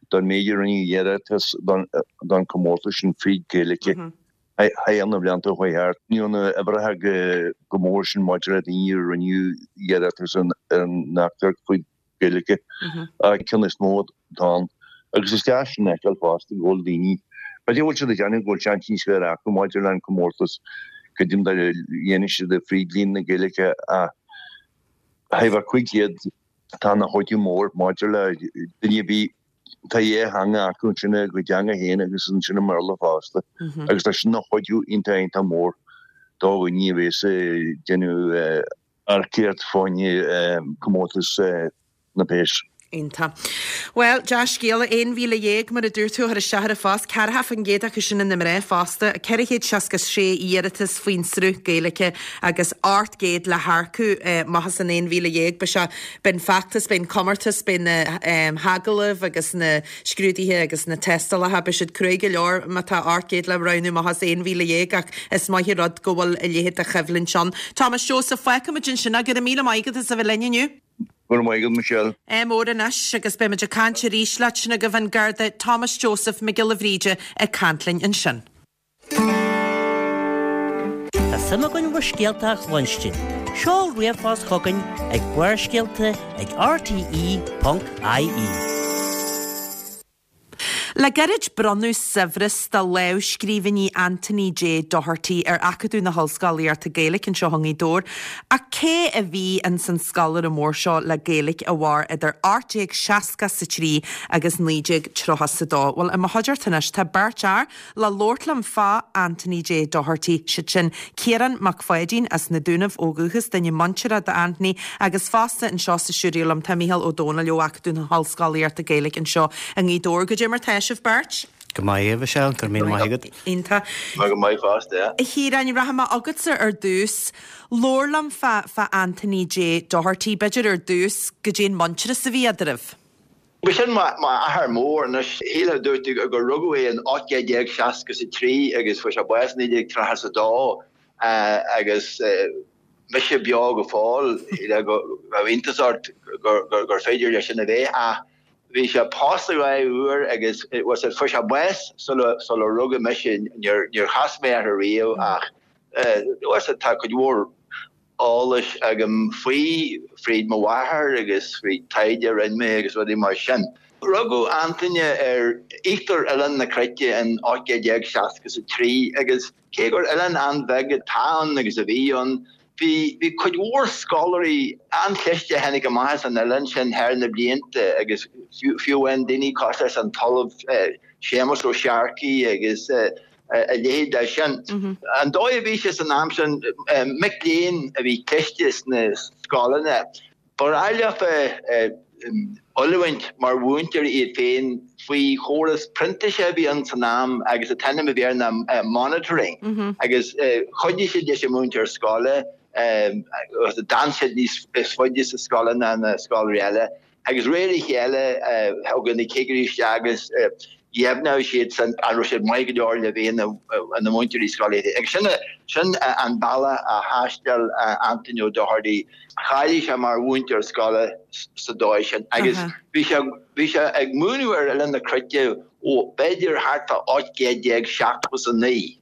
S6: don méid a rinneadh iarratas don chomórtas sin fríd Gaeilge. Thar na blianta a chuaigh thart, ní raibh na huimhreacha chomh mór sin maidir le daoine a rinne iarratas ar an earcaíocht faoi Ghaeilge, ach ceann is mó atá ann. Agus is deas sin a fheiceáil fosta go bhfuil daoine, b'fhéidir go bhfuil siad ag déanamh go bhfuil seans níos fearr acu maidir le an comórtas, creidim dá ndéanfaidh siad é fríd líon na Gaeilge ach thart ar cúig chéad tá ina chuidiú mór maidir le duine a bhí Tá dhá theanga acu ansin, a gcuid teanga féin agus ansin i mBéarla fosta, agus tá sin ina chuidiú iontach iontach mór do dhaoine a bhéas ag déanamh earcaíocht fá choinne comórtas na bpéas.
S1: Iontach. Bhuel, dea-scéala, aon mhíle dhéag, mar a dúirt tú, a chuir isteach ar an phost, ceathracha faoin gcéad acu sin ina mná fosta, ceithre chéad seasca sé iarratas faoin sruth Gaeilge agus ocht gcéad le hearcú amach as an aon mhíle dhéag. Beidh sé, beidh an feachtas, beidh an comórtas, beidh na hagallaimh agus na scrúduithe agus na tástálacha, beidh siad cruaidh go leor má tá ocht gcéad le roghnú amach as aon mhíle dhéag ach is maith an rud go bhfuil a leithéid de choimhlint ann. Thomas Joseph, fágfaimid ansin é, go raibh míle maith agat as a bheith linn inniu.
S6: Go raibh maith agat, Michelle.
S1: Ádh mór anois agus beidh muid ag caint arís leat sin agaibh an Garda Thomas Joseph Mac Giolla Bhríde ag caint linn ansin.
S5: Tá suim againn bhur scéalta a chluinstin. Seol ríomhphost chugainn ag Barrscéalta ag R T E ponc I E.
S1: Le gairid bronnadh saibhreas de lámhscríbhinní Anthony J Doherty ar Acadamh na hOllscolaíochta Gaeilge anseo i nGaoth Dobhair. Ach cé a bhí ins an scoláire mór seo le Gaeilge a mhair idir ocht déag seasca sa trí agus naoi déag tríocha sa dó? Bhuel, i mo chuideachta anois tá beirt fhear le labhairt liom fá Anthony J Doherty, siad sin Ciarán Mac Pháidín as na Dúnaibh ó dhúchas, duine muinteartha d'Anthony, agus fosta anseo sa stiúideo liom tá Mícheál Ó Domhnaill ó Acadamh na hOllscolaíochta Gaeilge anseo i nGaoth Dobhair. Goidé mar tá sibh beirt?
S7: Go maith, a Mhichelle, go raibh míle maith agat.
S1: Iontach.
S6: Go maith fosta.
S1: A Chiaráin, rachaidh mé chugatsa ar dtús. Labhair liom fá fá Anthony J Doherty, b'fhéidir ar dtús goidé an muintearas a bhí eadraibh.
S8: Ba sin m'athair mór anois. Shílfeá dúirt tú gur rugadh é in ocht déag seasca a trí agus fuair sé bás naoi déag tríocha a dó agus mise beo go fóill go raibh iontas ort gur féidir leis sin a bheith ach bhí sé pósta dhá uair agus was it fuair sé bás sula sula rugadh mise níor níor chas mé air riamh ach was it tá cuid mhór eolais agam faoi fríd mo mháthair agus fríd taighde a rinne mé agus rudaí mar sin. Rugadh Antaine ar íochtar Oileán na Cruite in ocht déag seasca a trí agus cé gur oileán an-bheag atá ann agus a bhí ann, bhí bhí cuid mhór scoláirí an-chliste a tháinig amach as an oileán sin thar na blianta agus fiú amháin daoine cosúil leis an tOllamh Séamus Ó Searcaigh agus a leithéid de sin. An dóigh a bhí sé san am sin, mic léinn a bhí cliste sna scoileanna, ba ghnách leofa oiliúint mar mhúinteoirí iad féin faoi chóras printíse a bhí ann san am agus an t-ainm a bhí air ná monitoring agus chuidigh siad leis an múinteoir scoile agus d'fhan siad níos faide sa scoil ná na scoláirí eile agus réir a chéile thug na cigirí isteach agus dheimhneodh siad san an raibh siad maith go leor le bheith ina múinteoirí scoile. Agus sin sin an bealach a thaistil Anthony O'Doherty. Cháiligh sé mar mhúinteoir scoile sa dóigh sin agus bhí sé bhí sé ag múineadh ar Oileán na Cruite ó b'fhéidir thart fá ocht gcéad déag seachtó is a naoi.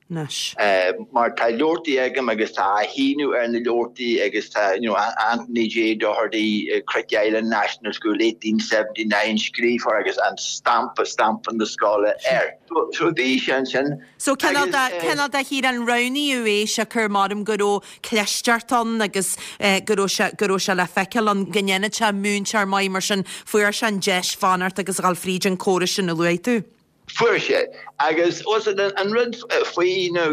S8: Mar tá leabhartaí agam agus tá a shíniú ar na leabhartaí agus tá you know, Anthony J Doherty, Cruit Island National School eighteen seventy nine scríofa agus an stampa stampa na scoile air. So, so bhí sé ansin.
S1: So cineál de cineál de Chiarán roghnaíodh é siocair maram go raibh clisteacht ann agus go raibh sé go raibh sé le feiceáil ann go ndéanfadh sé múinteoir maith mar sin fuair sé an deis fanacht agus a dhul fríd an córas sin a luaigh tú.
S8: Fuair sé agus an rud faoi nó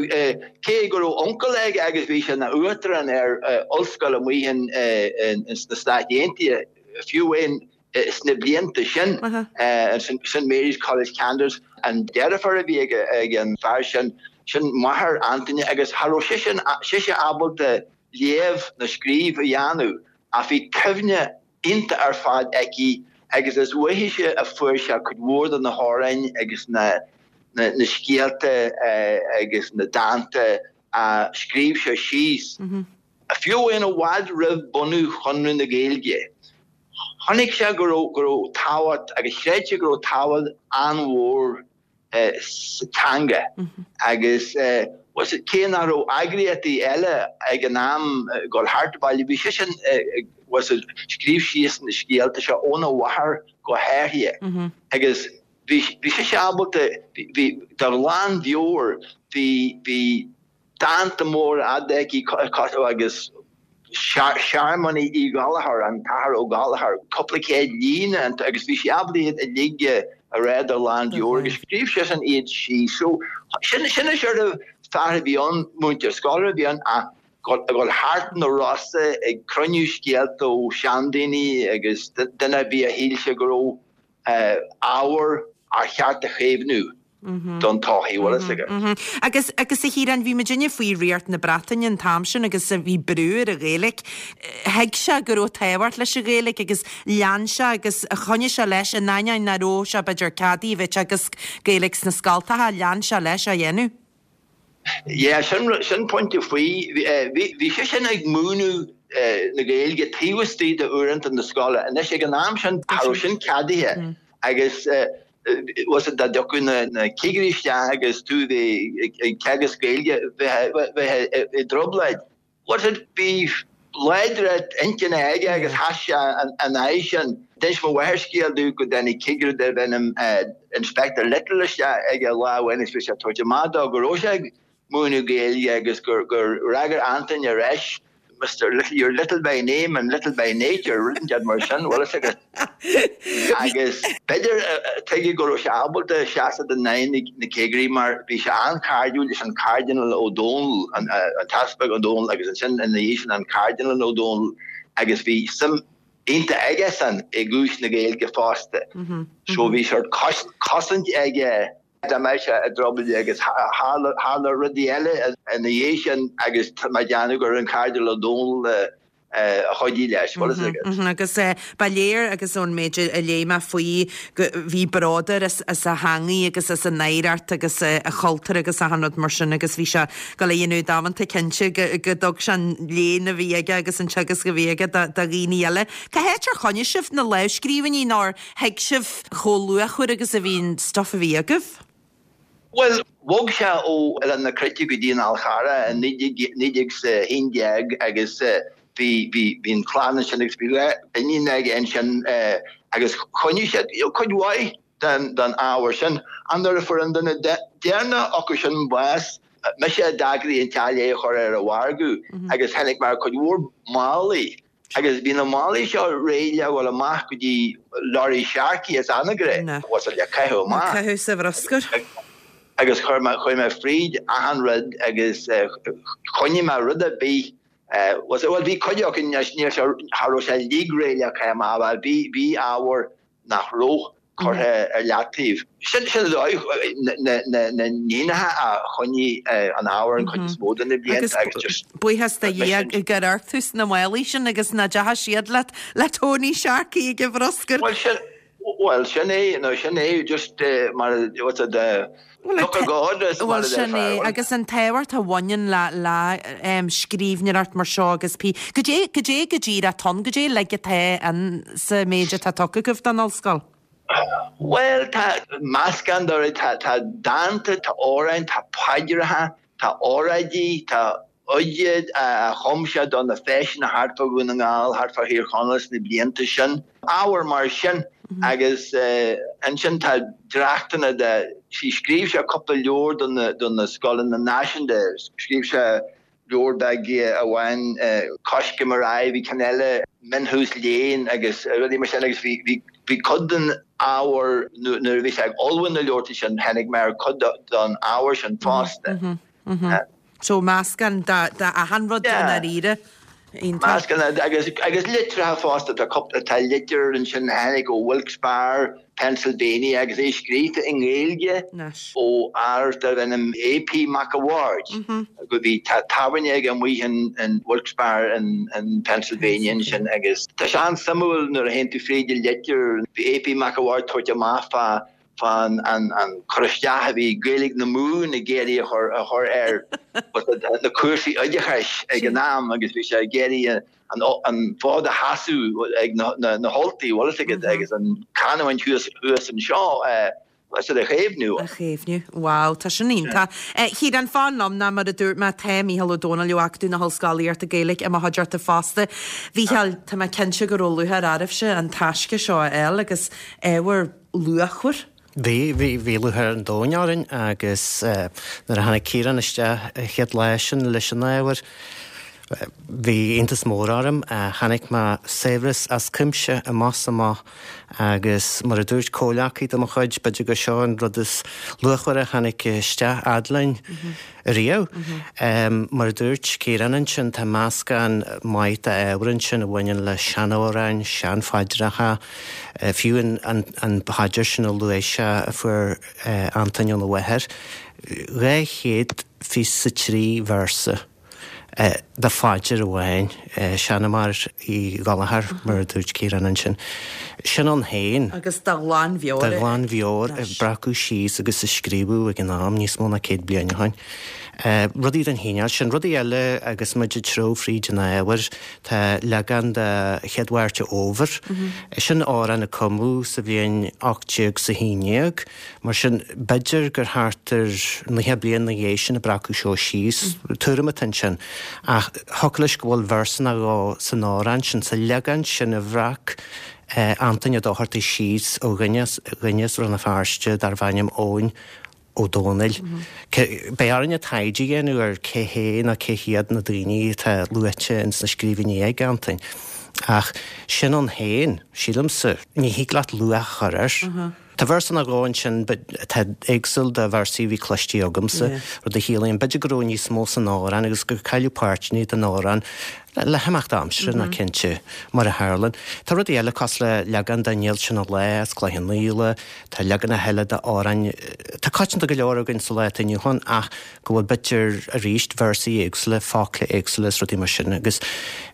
S8: cé go raibh uncail aige agus bhí sé ina uachtarán ar ollscoil amuigh in sna Stáit Aontaithe fiú amháin sna blianta sin Saint Mary's College Kansas an deirfiúr a bhí ag an fear sin sin máthair Antaine agus cha raibh sise sise ábalta léamh ná scríobh a dhéanamh ach bhí cuimhne iontach ar fad aici agus is uaithise a fuair sé cuid mhór de na hamhráin agus na na na scéalta agus na dánta a scríobh sé síos. Fiú amháin i bhfad roimh bunú Chonradh na Gaeilge. Chonaic sé go raibh go raibh tábhacht agus chreid sé go raibh tábhacht an-mhór sa teanga agus cé nach raibh eagraíochtaí eile ag an am ag dul thart baile bhí seisean was it scríobh síos na scéalta seo óna mháthair go háirithe agus bhí bhí sise ábalta bhí de ghlanmheabhair bhí bhí dánta móra fhada aici agus Searmaní Uí Ghallchóir an tAthair Ó Gallchóir cúpla céad líne agus bhí sí ábalta iad uilig a rá de ghlanmheabhair agus scríobh seisean iad síos so sin sin an sort of fear a bhí ann múinteoir scoile a bhí ann ach ag dul thart na Rosa ag cruinniú scéalta ó sheandaoine agus duine ar bith a shíl sé go raibh ábhar ar cheart a chaomhnú don todhchaí, bhfuil fhios agat.
S1: Agus, agus a Chiaráin, bhí muidinne faoi ríocht na Breataine an t-am sin agus bhí brú ar an Ghaeilge. Thuig sé go raibh tábhacht leis an Ghaeilge agus lean sé agus choinnigh sé leis in ainneoin nach raibh sé b'fhéidir ceadaithe a bheith ag teagasc Gaeilge sna scoltacha, lean sé leis á dhéanamh.
S8: Yeah, sin, sin pointe faoi. Bhí, bhí seisean ag múineadh na Gaeilge taobh istigh de uaireanta na scoile. Anois ag an am sin, cha raibh sin ceadaithe agus was it dá dtiocfadh na, na cigirí isteach agus tú bheith ag teagasc Gaeilge, bheith, bheith i dtrioblóid. Was it bhí láidreacht intinne aige agus sheas sé ina aghaidh sin. D'inis mo mháthair scéal domh go dtáinig cigire darbh ainm Inspector Little isteach aige lá amháin agus bhí sé ag tabhairt amach dó go raibh sé ag múineadh Gaeilge agus gur fhreagair Antaine ar ais Mister Little, you're little by name and little by nature, rud inteacht mar sin, bhfuil fhios agat. Agus b'fhéidir tuige go raibh sé ábalta seasamh in aghaidh na cigirí mar bhí sé an-chairdiúil leis an Cardinal Ó Dónaill, an tEaspag Ó Dónaill agus ansin ina dhiaidh sin an Cardinal Ó Dónaill agus bhí suim iontach aigesan i gcúis na Gaeilge fosta. So bhí sort cosaint aige dá mbeadh sé i dtrioblóid agus tharla rudaí eile ina dhiaidh sin agus tá mé ag déanamh gur an Cardinal Ó Dónaill a chuidigh leis, bhfuil fhios agat.
S1: Agus ba léir agus ón méid a léigh mé faoi go bhí bród air as a theangaidh agus as an oidhreacht agus a chultúr agus achan rud mar sin agus bhí sé ag gabháil a dhéanamh damanta cinnte go dtug sé an léann a bhí aige agus an teagasc a bhí aige do dhaoine eile. Cá háit ar choinnigh sibh na lámhscríbhinní nó ar thuig sibh chomh luachmhar agus a bhí an stuff a bhí agaibh?
S8: Bhuel, bhog sé ó Oileán na Cruite go dtí an Fhál Charrach i naoi déag a haon déag agus bhí, bhí, bhí an chlann ansin agus bhí dhá iníon aige ansin agus choinnigh siad cuid mhaith den, den ábhar sin. Ach nuair a fuair an duine deireanach acu sin bás, mise a d'eagraigh an teach é a chur ar an mhargadh agus tháinig mé ar cuid mhór málaí Agus bhí na málaí seo réidh le dhul amach go dtí lorry Sharkey as Anagaire, was le caitheamh amach.
S1: Caitheamh sa bhruscar.
S8: Agus chuir mé, chuaigh mé fríd achan rud agus choinnigh mé rud ar bith, was bhuel bhí cuid acu anois, níl sé, cha raibh sé uilig réidh le caitheamh amach, bhuel bhí, bhí ábhar nach raibh curtha ar leataobh. Sin sin an dóigh na na níonacha a choinnigh an ábhar an chuid is mó de na blianta
S1: agus just Buíochas do Dhia gur amharc tú sna málaí sin agus nach dteachaigh siad le le Tony Sharkey ag an bhruscar.
S8: Bhuel sin bhuel sin é nó sin é just mar what's it Look at God is mar
S1: Bhuel sin é agus an tábhacht a bhaineann le le scríbhneoireacht mar seo agus pí goidé goidé go díreach atá ann goidé uilig atá ann sa méid atá tugtha agaibh don ollscoil.
S8: Bhuel, tá meascán de rudaí, tá, tá dánta, tá amhráin, tá paidreacha, tá óráidí, tá oide a chum sé do na feiseanna thart fá Dhún na nGall, thart fá Thír Chonaill sna blianta sin. Ábhar mar sin agus ansin tá dréachtanna de, scríobh sé cúpla leabhar do na, do na scoileanna náisiúnta, scríobh sé leabhar beag amháin, Coiscéim ar aghaidh, bhí ceann eile, Mionthús Léinn agus rudaí mar sin agus bhí, bhí, bhí cuid den ábhar nuair a bhí sé ag ullmhú na leabhartaí sin, tháinig mé ar cuid den ábhar sin fosta.
S1: So meascán de, de achan rud i ndáiríre.
S8: Iontach. Meascán agus, agus litreacha fosta, tá cúpla, tá litir ansin a tháinig ó Wilkes-Barre, Pennsylvania agus é scríofa i nGaeilge ó fhear darbh ainm A.P. Mac a' Bhaird go bhí tábhairne aige amuigh in Wilkes-Barre in Pennsylvania ansin agus tá sé an-suimiúil nuair a théann tú fríd an litir, bhí A.P. Mac a' Bhaird tabhairt amach fá fán an cur isteach a bhí Gaeilge na Mumhan ag iarraidh a chur a chur ar na cúrsaí oideachais ag an am agus bhí sé ag iarraidh an fód a sheasamh ag na hUltaigh, bhfuil fhios agat, agus an canúint thuas thuas anseo a chaomhnú.
S1: A chaomhnú. Wow, tá sin iontach. Ciarán, fan liom ná mar a dúirt mé, tá Mícheál Ó Domhnaill ó Acadamh na hOllscolaíochta Gaeilge i mo chuideachta fosta. Mhícheáil, tá mé cinnte go raibh lúcháir oraibhse an taisce seo a fháil agus ábhar luachmhar.
S7: Bhí, bhí, bhí lúcháir an domhain orainn agus nuair a tháinig Ciarán isteach an chéad lá sin leis an ábhar, Bhí iontas mór orm. Chonaic mé saibhreas as cuimse amach is amach agus mar a dúirt comhleacaí de mo chuid, b'fhéidir gur seo an rud is luachmhaire a tháinig isteach fhad linn riamh. Mar a dúirt Ciarán ansin, tá meascán maith d'ábhar ansin a bhaineann le seanamhráin, seanphaidreacha, fiú an phaidir sin a luaigh sé a fuair Antaine óna mháthair, dhá chéad fiche 's a trí véarsa. de phaidir amháin, Seanmóir Uí Ghallchóir, mar a dúirt Ciarán ansin. Sin ann féin.
S1: Agus de ghlanmheabhair.
S7: De ghlanmheabhair a breacadh síos agus a scríobhadh ag an am, níos mó ná céad bliain ó shin. Rudaí den chineál sin. Rudaí eile agus muid ag treabhadh fríd an ábhar, tá leagan de Chéad Mháirt an Fhómhair. Sin amhrán a cumadh sa bhliain ocht déag 's a haon déag. Mar sin, b'fhéidir gur thart ar naocha bliain ina dhiaidh sin a breacadh seo síos. Tuairim atá ansin. Ach thiocfadh leis go bhfuil véarsa nó dhó san amhrán sin, sa leagan sin a bhreac Antaine Ó Dochartaigh síos ó dhuine as Rann na Feirste darbh ainm Eoin Ó Dónaill. Beidh orainne taighde a dhéanamh ar cé hé nó cé hiad na daoine atá luaite ins na scríbhinní ag Antain. Ach sin ann féin, sílimse, ní thig leat luach a chur air. Tá véarsa nó dhó ansin atá éagsúil de véarsaí a bhí cloiste agamsa, rud a chiallaíonn b'fhéidir go raibh níos mó san amhrán agus gur cailleadh páirteanna den amhrán le himeacht aimsire ná cinnte, mar a tharlaíonn. Tá rudaí eile cosúil le leagan de Níl Sin a Lá as Cloich Cheann Fhaola, tá leaganacha eile d'amhráin atá coitianta go leor againn sa lá atá inniu ann ach go bhfuil b'fhéidir arís véarsaí éagsúla, focla éagsúla is rudaí mar sin agus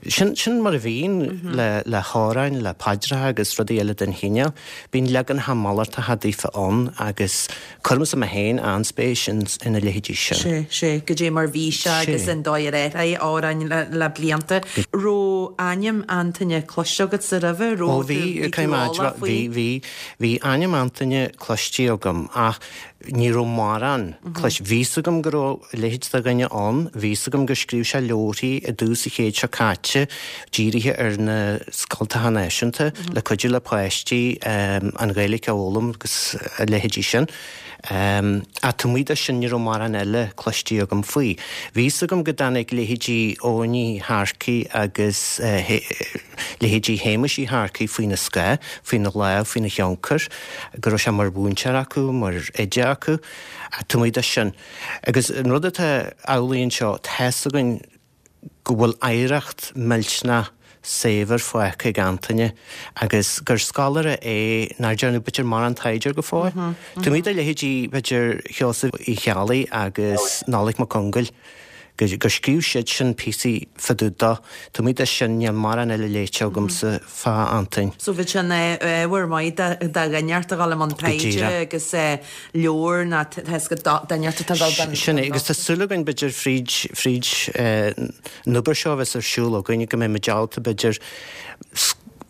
S7: sin sin mar a bhíonn le le hamhráin, le paidreacha agus rudaí eile den chineál. Bíonn leaganacha malartacha daofa ann agus cuirimse mé féin an-spéis ina leithéidí sin.
S1: Sé, sé, goidé mar bhí sé agus an dóigh ar athraigh amhráin le le blianta. Raibh ainm Antaine cloiste agatsa roimhe?
S7: Ó
S1: Raibh tú,
S7: bhí,
S1: bhí tú eolach faoi?
S7: Bhí, bhí, bhí ainm Antaine cloiste agam ach ní raibh mórán cloiste. Bhí 'fhios agam go raibh a leithéid de dhuine ann, bhí 'fhios agam gur scríobh sé leabharthaí i dtús an chéid seo caite dírithe ar na scoltacha náisiúnta le cuidiú le páistí an Ghaeilge a fhoghlaim agus a leithéidí sin. Ach taobh amuigh de sin ní raibh mórán eile cloiste agam faoi. Bhí 'fhios agam go dtáinig leithéidí Eoghain Uí Shearcaigh agus leithéidí Shéamuis Uí Shearcaigh faoina scáth, faoina lámh, faoina thionchar, go raibh sé mar mhúinteoir acu, mar oide acu. Ach taobh amuigh de sin, agus an rud atá amhlaidh anseo, tá's againn go bhfuil oidhreacht millteanach saibhir fágtha ag Antaine agus gur scoláire é nár dearnadh b'fhéidir mórán taighde air go fóill. Taobh amuigh de leithéidí b'fhéidir Sheosaimh Uí Cheallaigh agus Nollaig Mac Congail, gur scríobh siad sin píosaí fá dtaobh dó, taobh amuigh de sin níl mórán eile léite agamsa fá Antain.
S1: So bheadh sé ina ábhar maith do dhuine inteacht a dhul i mbun taighde agus leabhar ná tá 'fhios agat duine inteacht atá ag dul don
S7: Sin é, agus tá súil againn b'fhéidir fríd fríd an obair seo a bheas ar siúl againn go mbeidh muid ábalta b'fhéidir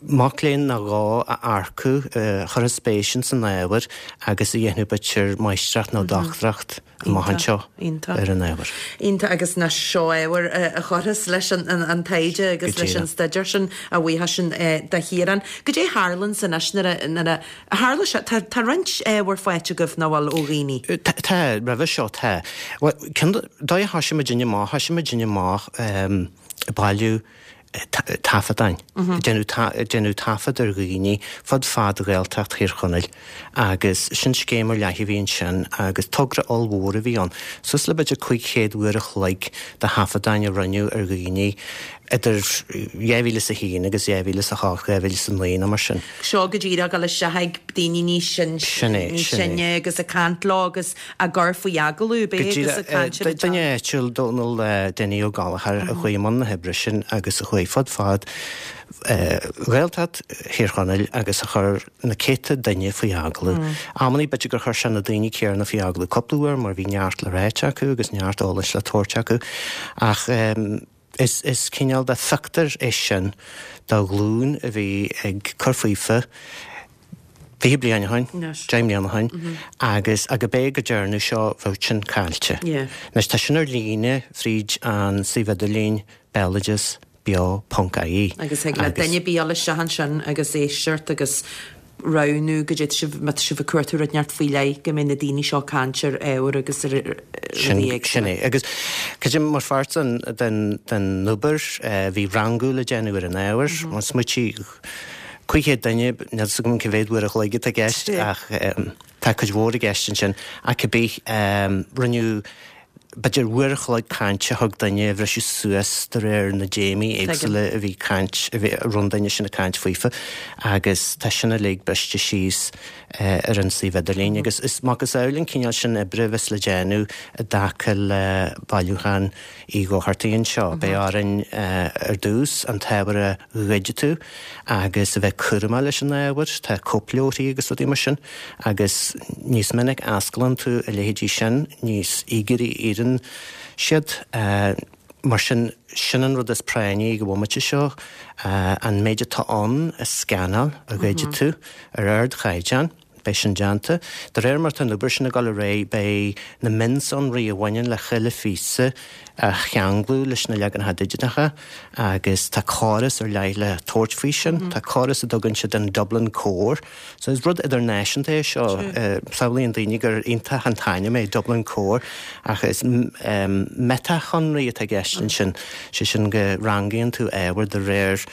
S7: mac léinn nó dhó a earcú a chuirfeadh spéis ins an ábhar agus a dhéanfadh b'fhéidir máistreacht nó dochtúireacht amach anseo ar an ábhar.
S1: Iontach agus nach seo ábhar a chuirfeas leis an taighde agus leis an staidéar sin a bhuíochas sin do Chiarán. Goidé a tharlaíonns anois nuair a tharla sé, tá roinnt ábhar faighte agaibh nach bhfuil ó dhaoine?
S7: Tá, roimhe seo tá. Bhuel, cén dóigh a thoisigh muidinne amach? Thoisigh muidinne amach ag bailiú taifeadáin, ag déanamh taifead ar dhaoine fud fad Ghaeltacht Thír Chonaill agus sin scéim ar leith a bhí ansin agus togra ollmhór a bhí ann, suas le b'fhéidir cúig chéad uair a chloig de thaifeadáin a rinneadh ar dhaoine idir dhá mhíle is a haon agus dhá mhíle is a hocht, dhá mhíle is a naoi nó mar sin.
S1: Seo go díreach ag dul isteach ag daoine níos sine agus ag caint leo agus á gcur faoi agallamh, ab é agus ag caint ar an
S7: Duine áitiúil, Dónal Dinny Ó Gallchóir, a chuaigh i mbun na hoibre sin agus a chuaigh fud fad Ghaeltacht Thír Chonaill agus a chuir na céadta duine faoi agallamh. Amannaí b'fhéidir gur chuir sé na daoine céanna faoi agallamh cúpla uair mar bhí neart le ráit acu agus neart eolais le tabhairt acu ach is is cineál de phictiúr é sin de ghlúin a bhí ag cur faofa fiche bliain ó shin, deich mbliana ó shin, agus gurb é go dearnadh seo bheadh sin caillte. Anois tá sin ar líne fríd an suíomh idirlín béaloideas beo ponc ie.
S1: Agus thig le duine ar bith dul isteach ansin agus éisteacht agus roghnú goidé tá sibh, má tá sibh ag cuartú rud inteacht faoi leith, go mbeidh na daoine seo ag caint ar ábhair agus ar rudaí éagsúla.
S7: Sin é. Agus cad é mar pháirt den, den, den obair, bhí rangú le déanamh ar an ábhar. Smaoitigh, cúig chéad duine, níl 'fhios agam cé mhéad uair a chloig atá i gceist ach tá cuid mhór i gceist ansin. Ach cibé, rinneadh b'fhéidir uair a chloig cainte a thug duine a bhriseadh suas de réir na dtéamaí éagsúla a bhí caint, a bhí, a raibh an duine sin ag caint faofa agus tá sin uilig briste síos ar an suíomh idirlín agus is macasamhail an cineál sin oibre a bheas le déanamh i dtaca le bailiúchán Uí Dhochartaigh anseo. Beidh orainn ar dtús an t-ábhar a dhigitiú agus a bheith cúramach leis an ábhar, tá cóipleabharthaí agus rudaí mar sin agus níos minic a osclaíonn tú a leithéidí sin, níos íogaire a éiríonn siad. Mar sin, sin an rud is práinní ag an bhomaite seo, an méid atá ann a scanáil, a dhigitiú ar ardchaighdeán. Beidh sin déanta. De réir mar atá an obair sin ag dul ar aghaidh, beidh na mionsonraí a bhaineann le chuile phíosa á cheanglú leis na leaganacha digiteacha agus tá córas ar leith le tabhairt faoi sin. Tá córas a dtugann siad an Dublin Core. So is rud idirnáisiúnta é seo. Samhlaíonn daoine gur iontach an t-ainm é Dublin Core ach is meiteashonraí atá i gceist ansin, sé sin go rangaíonn tú ábhar de réir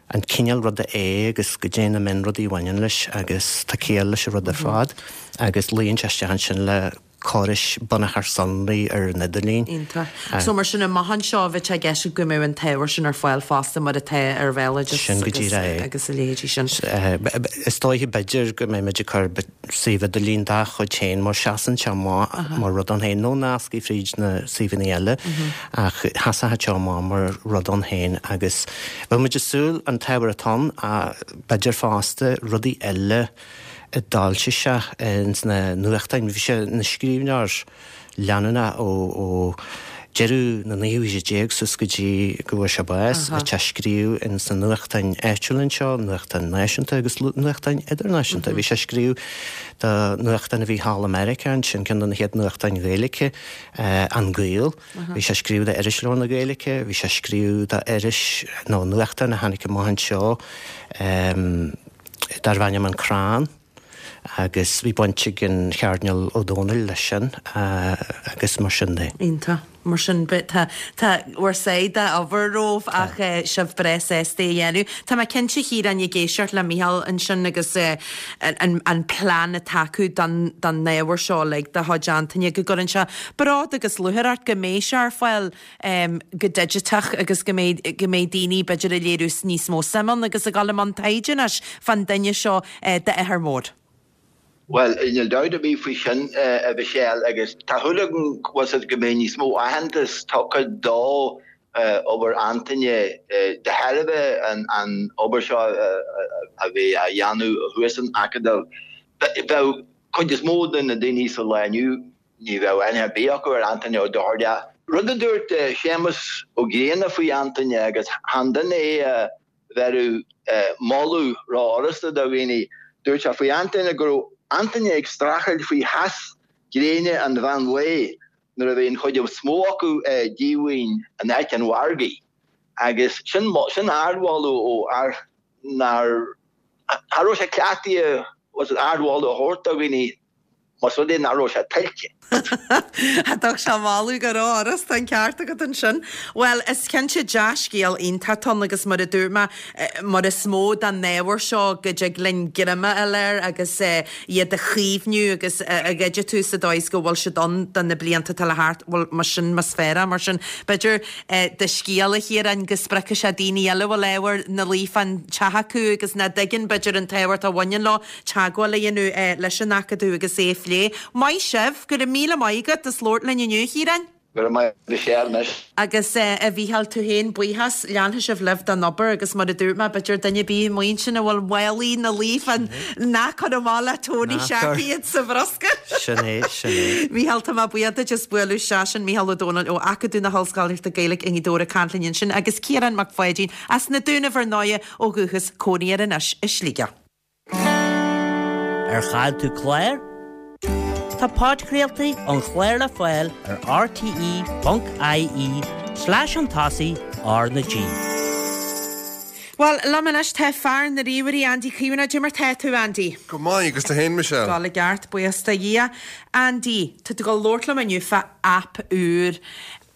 S7: an cineál ruda é agus goidé na mionrudaí a bhaineann leis agus tá ciall leis an rud ar fad agus luíonn sé isteach ansin le córais bunachar sonraí ar an idirlíon.
S1: Iontach. So mar sin amach anseo bheadh sé i gceist go mbeadh an t-ábhar sin ar fáil fosta mar atá ar Bhéaloideas
S7: Sin go díreach é.
S1: agus a leithéidí sin.
S7: Is dóiche b'fhéidir go mbeidh muid ag cur suíomh idirlín dá chuid féin mar seasann sé amach mar rud ann féin, nó nascaí fríd na suíomhanna eile ach sheasfadh sé amach mar rud ann féin agus bheadh muid ag súil an t-ábhar atá ann ach b'fhéidir fosta rudaí eile a d'fhoilsigh sé ins na nuachtáin. Bhí sé ina scríbhneoir leanúnach ó deireadh na naoú haoise déag suas go dtí go bhfuair sé bás. Bhí sé ag scríobh ins na nuachtáin áitiúla anseo, nuachtáin náisiúnta agus nuachtáin idirnáisiúnta. Bhí sé ag scríobh do nuachtán a bhí thall i Meiriceá ansin, ceann de na chéad nuachtáin Ghaeilge, An Gael. Bhí sé ag scríobh do Irisleabhar na Gaeilge, bhí sé ag scríobh do iris nó nuachtán a tháinig amach anseo darbh ainm An Crann. agus bhí baint ag an Chairdinéal Ó Dónaill leis sin agus mar sin de.
S1: Iontach. Mar sin, tá tá bhur sáith d'obair romhaibh ach sibh breá sásta é a dhéanamh. Tá mé cinnte, a Chiaráin, ag éisteacht le Mícheál ansin agus an an plean atá acu don don ábhar seo uilig de chuid Antaine go gcuireann sé bród agus lúcháir ort go mbeidh sé ar fáil go digiteach agus go mbeidh go mbeidh daoine b'fhéidir ag léiriú níos mó suim ann agus ag dul i mbun taighde anois fán duine seo d'athair mór.
S8: Bhuel, níl dabht ar bith faoi sin, a Mhichelle, agus tá súil agam go bhfuil go mbeidh níos mó aitheantas tugtha do obair Antaine de thairbhe an obair seo a bhí á dhéanamh thuas san Acadamh. Bheadh cuid is mó de na daoine sa lá inniu, ní bheadh aithne ar bith acu ar Antaine Ó Dochartaigh. Rud a dúirt Séamus Ó Grianna faoi Antaine, agus chan duine é a bheireadh moladh rófhurasta do dhaoine, dúirt sé faoi Antaine go raibh Antaine ag streachailt faoi theas gréine an mheán lae nuair a bhí an chuid is mó acu díomhaoin in áit an mhargaidh. Agus sin sin ardmholadh ó fhear nár cha raibh sé cleachtaithe ardmholadh a thabhairt do dhaoine. Más rud é nach raibh sé tuillte.
S1: Thug sé moladh go rófhurasta, an ceart agat ansin. Bhuel, is cinnte dea-scéal iontach atá ann agus mar a dúirt mé, mar is mó den ábhar seo go dtig linn greim a fháil air agus iad a chaomhnú agus a dhigitiú sa dóigh is go bhfuil siad ann do na blianta atá le theacht, bhuel, mar sin, más fearr é mar sin. B'fhéidir do scéal, a Chiaráin, go spreagfaidh sé daoine eile a bhfuil ábhar ina luí fán teach acu agus nach dtuigeann, b'fhéidir, an tábhacht a bhaineann leo, teagmháil a dhéanamh leis an Acadamh agus é a phlé. Maith sibh! Go raibh míle maith agat as labhairt linn inniu, a Chiaráin.
S8: Go raibh maith agat, Michelle, anois.
S1: Agus a Mhícheáil, tú féin, buíochas. Leanfaidh sibh libh den obair agus mar a dúirt mé, b'fhéidir duine ar bith amuigh ansin a bhfuil málaí ina luí fán ná cuir amach le Tony Sharkey iad sa bhruscar.
S7: Sin é, sin é.
S1: Mícheál, tá mé buíoch duit as bualadh isteach. Sin Mícheál Ó Domhnaill ó Acadamh na hOllscolaíochta Gaeilge i nGaoth Dobhair ag caint linn ansin agus Ciarán Mac Pháidín as na Dúnaibh ar ndóighe ó dhúchas, cónaí air anois i Sligeach.
S5: Ar chaill tú clár? Tá podchraoltaí an chláir le fáil ar rte.ie slash chun tosaigh R na G.
S1: Bhuel, liom anois tá fear na ríomhairí, Andy Caomhánach. Cad é mar tá tú, Andy?
S9: Go maith, agus tú féin, Michelle?
S1: Dul i gceart, buíochas do Dhia. Andy, tá tú ag dul labhairt liom inniu fá aip úr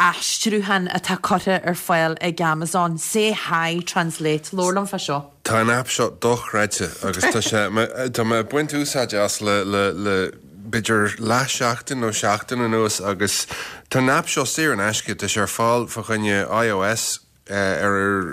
S1: aistriúcháin atá curtha ar fáil ag Amazon, Say Hi Translate. Labhair liom fá seo.
S9: Tá an aip seo dochreidte agus tá sé, tá mé ag baint úsáide as le, le, le b'fhéidir leath seachtain nó seachtain anuas agus tá an aip seo saor in aisce, tá sé ar fáil fá choinne iOS, ar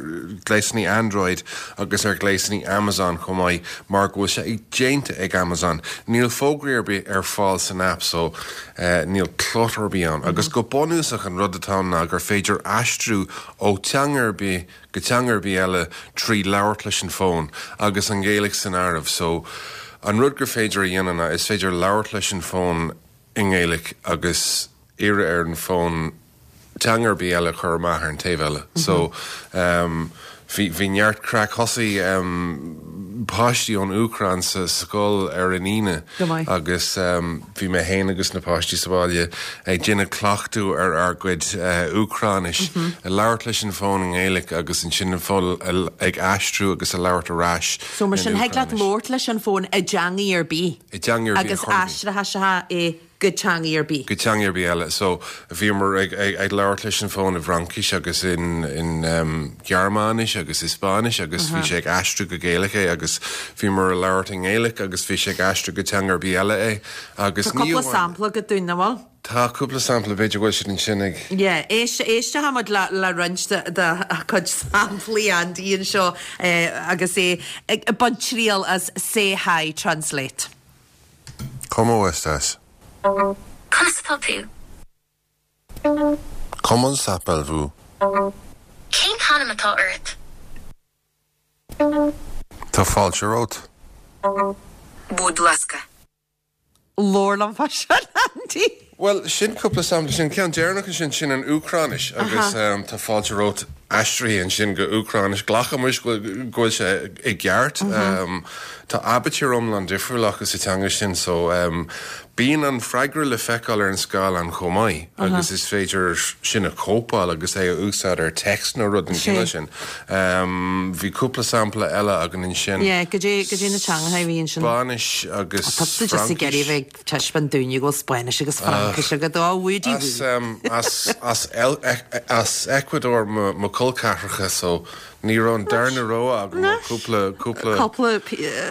S9: ghléasanna Android agus ar ghléasanna Amazon chomh maith mar go bhfuil sé déanta ag Amazon. Níl fógraí ar bith ar fáil san aip so níl clutter ar bith ann. Agus go bunúsach an rud atá ann ná gur féidir aistriú ó teanga ar bith go teanga ar bith eile trí labhairt leis an bhfón agus an Ghaeilge san áireamh. So an rud gur féidir a dhéanamh ná is féidir labhairt leis an bhfón i nGaeilge agus iarraidh ar an bhfón teanga ar bith eile a chur amach ar an taobh eile. So um, bhí, bhí neart craic thosaigh um, páistí ón Úcráin sa scoil ar an Aoine agus um, bhí mé féin agus na páistí sa bhaile ag déanamh cleachtadh ar ár gcuid uh, Úcráinis, mm -hmm. ag labhairt leis an bhfón i nGaeilge agus ansin an fón ag aistriú agus ag labhairt ar ais.
S1: So mar sin thig leat labhairt leis an bhfón i dteangaidh ar bith.
S9: I dteangaidh ar bith.
S1: Agus aistreoidh sé é go teangaidh ar bith.
S9: Go teangaidh ar bith eile. So bhíomar ag, ag, ag labhairt leis an bhfón i bhFraincis agus in, in um, Gearmáinis agus i Spáinnis agus bhí sé ag aistriú go Gaeilge é agus bhíomar ag labhairt i nGaeilge agus bhí sé ag aistriú go teanga ar bith eile é.
S1: Agus Tá cúpla sampla agat dúinn, an bhfuil?
S9: Tá cúpla sampla, b'fhéidir go bhfuil siad ansin ag.
S1: Yeah, éist, éistfidh muid le, le roinnt de, de chuid samplaí Andy anseo eh, agus é ag baint triail as Say Hi Translate.
S9: ¿Cómo estás?
S10: Conas atá tú?
S9: Comment s'appelle-vous?
S10: Cén t-ainm atá ort?
S9: Tá fáilte romhat.
S10: Bud laska.
S1: Labhair liom fá sin, Andy.
S9: Bhuel, sin cúpla sampla, sin ceann deireanach ansin, sin an Úcráinis agus tá fáilte romhat aistrithe ansin go Úcráinis. Glacaimis go bhfuil sé i gceart. Tá aibitír iomlán difriúil acu sa teanga sin so bíonn an freagra le feiceáil ar an scáileán chomh maith agus is féidir sin a chóipeáil agus é a úsáid ar text nó rud den chineál sin. Bhí cúpla sampla eile againn ansin.
S1: Yeah, go dtí go dtí na teangacha a bhí ansin.
S9: Spáinnis agus
S1: Tá tú just ag iarraidh a bheith ag taispeáint dúinne go bhfuil Spáinnis agus Fraincis agat. Ó, Woody
S9: As, as, as, as Ecuador mo, mo chol ceathracha so ní raibh an darna rogha agam ach cúpla, cúpla
S1: Cúpla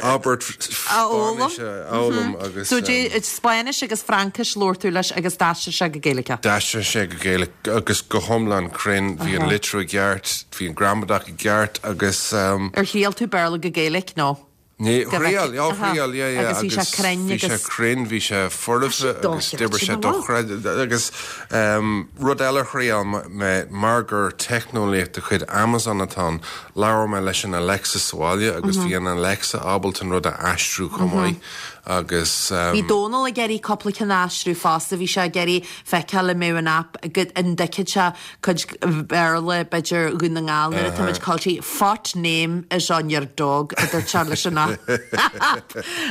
S9: abairt Spáinnis a fhoghlaim agus.
S1: So Spáinnis agus Fraincis labhair tú leis agus d'aistrigh sé go Gaeilge.
S9: D'aistrigh sé go Gaeilge agus go hiomlán cruinn, bhí an litriú i gceart, bhí an gramadach i gceart agus.
S1: Ar thriail tú Béarla go Gaeilge nó?
S9: Ní, thriail, já, thriail, yeah, yeah.
S1: Agus bhí sé cruinn
S9: agus. Bhí sé cruinn, bhí sé foirfe agus d'oibrigh sé dochreidte. Agus rud eile a thriail mé, mar gur teicneolaíocht de chuid Amazon atá ann, labhair mé leis an Alexa sa bhaile agus bhí an Alexa ábalta an rud a aistriú chomh maith agus.
S1: Bhí Dónal ag iarraidh cúpla ceann a aistriú fosta, bhí sé ag iarraidh feiceáil an mbeadh an aip, an dtuigfeadh sé cuid Béarla, b'fhéidir Dhún na nGall nuair atá muid caillte, What name is on your dog, a dúirt sé leis an aip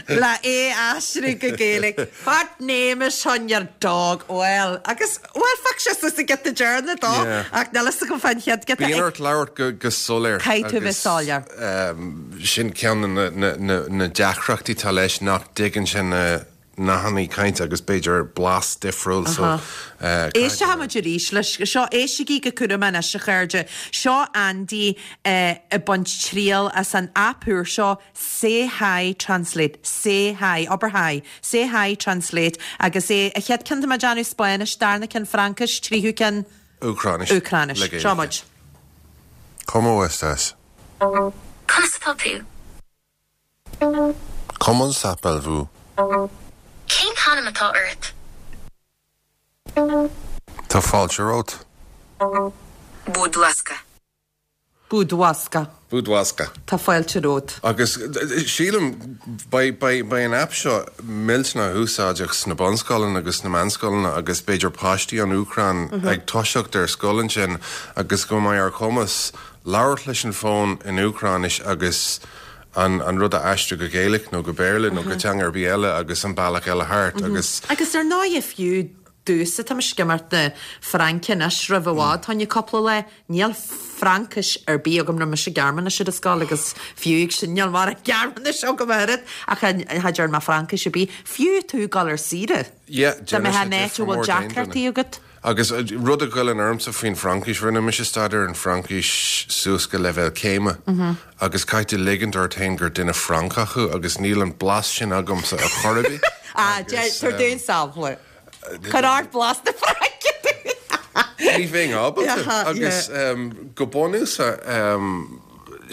S1: le é a aistriú go Gaeilge. What name is on your dog? Bhuel, agus, bhuel, phioc sé suas an giota deireanach dó, ach níl fhios agam fán chéad giota.
S9: Bíonn ort labhairt go, go soiléir.
S1: Caithfidh tú bheith soiléir.
S9: Sin ceann de na, na, na deacrachtaí atá leis nach dtuigeann sé na nathanna cainte agus b'fhéidir blas difriúil so
S1: Éistfidh muid arís leis seo. Éistigí go cúramach anois a chairde. Seo Andy ag baint triail as an aip úr seo Say Hi Translate. Say Hi. Abair Hi. Say Hi Translate. Agus é, a chéad ceann tá mé ag déanamh Spáinnis, darna ceann Fraincis, tríú ceann
S9: Úcráinis.
S1: Úcráinis. Seo muid.
S9: Cómo estás?
S10: Conas atá tú?
S9: Comment s'appelle-vous?
S10: Cén t-ainm atá ort?
S9: Tá fáilte romhat.
S10: Bud laska.
S1: Bud laska.
S9: Bud laska.
S1: Tá fáilte romhat.
S9: Agus sílim, beidh an aip seo millteanach úsáideach sna bunscoileanna agus sna meánscoileanna agus b'fhéidir páistí ón Úcráin ag toiseacht ar scoil ansin agus go mbeidh ar chumas labhairt leis an bhfón in Úcráinis agus an an rud a aistriú go Gaeilge nó go Béarla nó go teanga ar bith eile agus an bealach eile thart agus.
S1: Agus ar ndóigh fiú domhsa tá mise ag imeacht na Fraince anois roimh i bhfad fá choinne cúpla lá, níl Fraincis ar bith agam rinne mise Gearmáinis ar an scoil agus fiú ag sin níl mórán Gearmáinis agam oiread ach cha dearn mé Fraincis ar bith, fiú tú ag dul ar saoire.
S9: Yeah,
S1: Dá mbeifeá in áit a bhfuil deacrachtaí agat.
S9: Agus rud a ghoilleann ormsa faoin Fraincis, rinne mise staidéar ar an Fraincis suas go leibhéal céime agus caithfidh tú ligint ort féin gur duine Francach thú agus níl an blas sin agamsa ar chor ar bith.
S1: Ah, tabhair dúinn sampla. Cuir ort blas na Fraince dúinn.
S9: Ní bheinn ábalta agus go bunúsach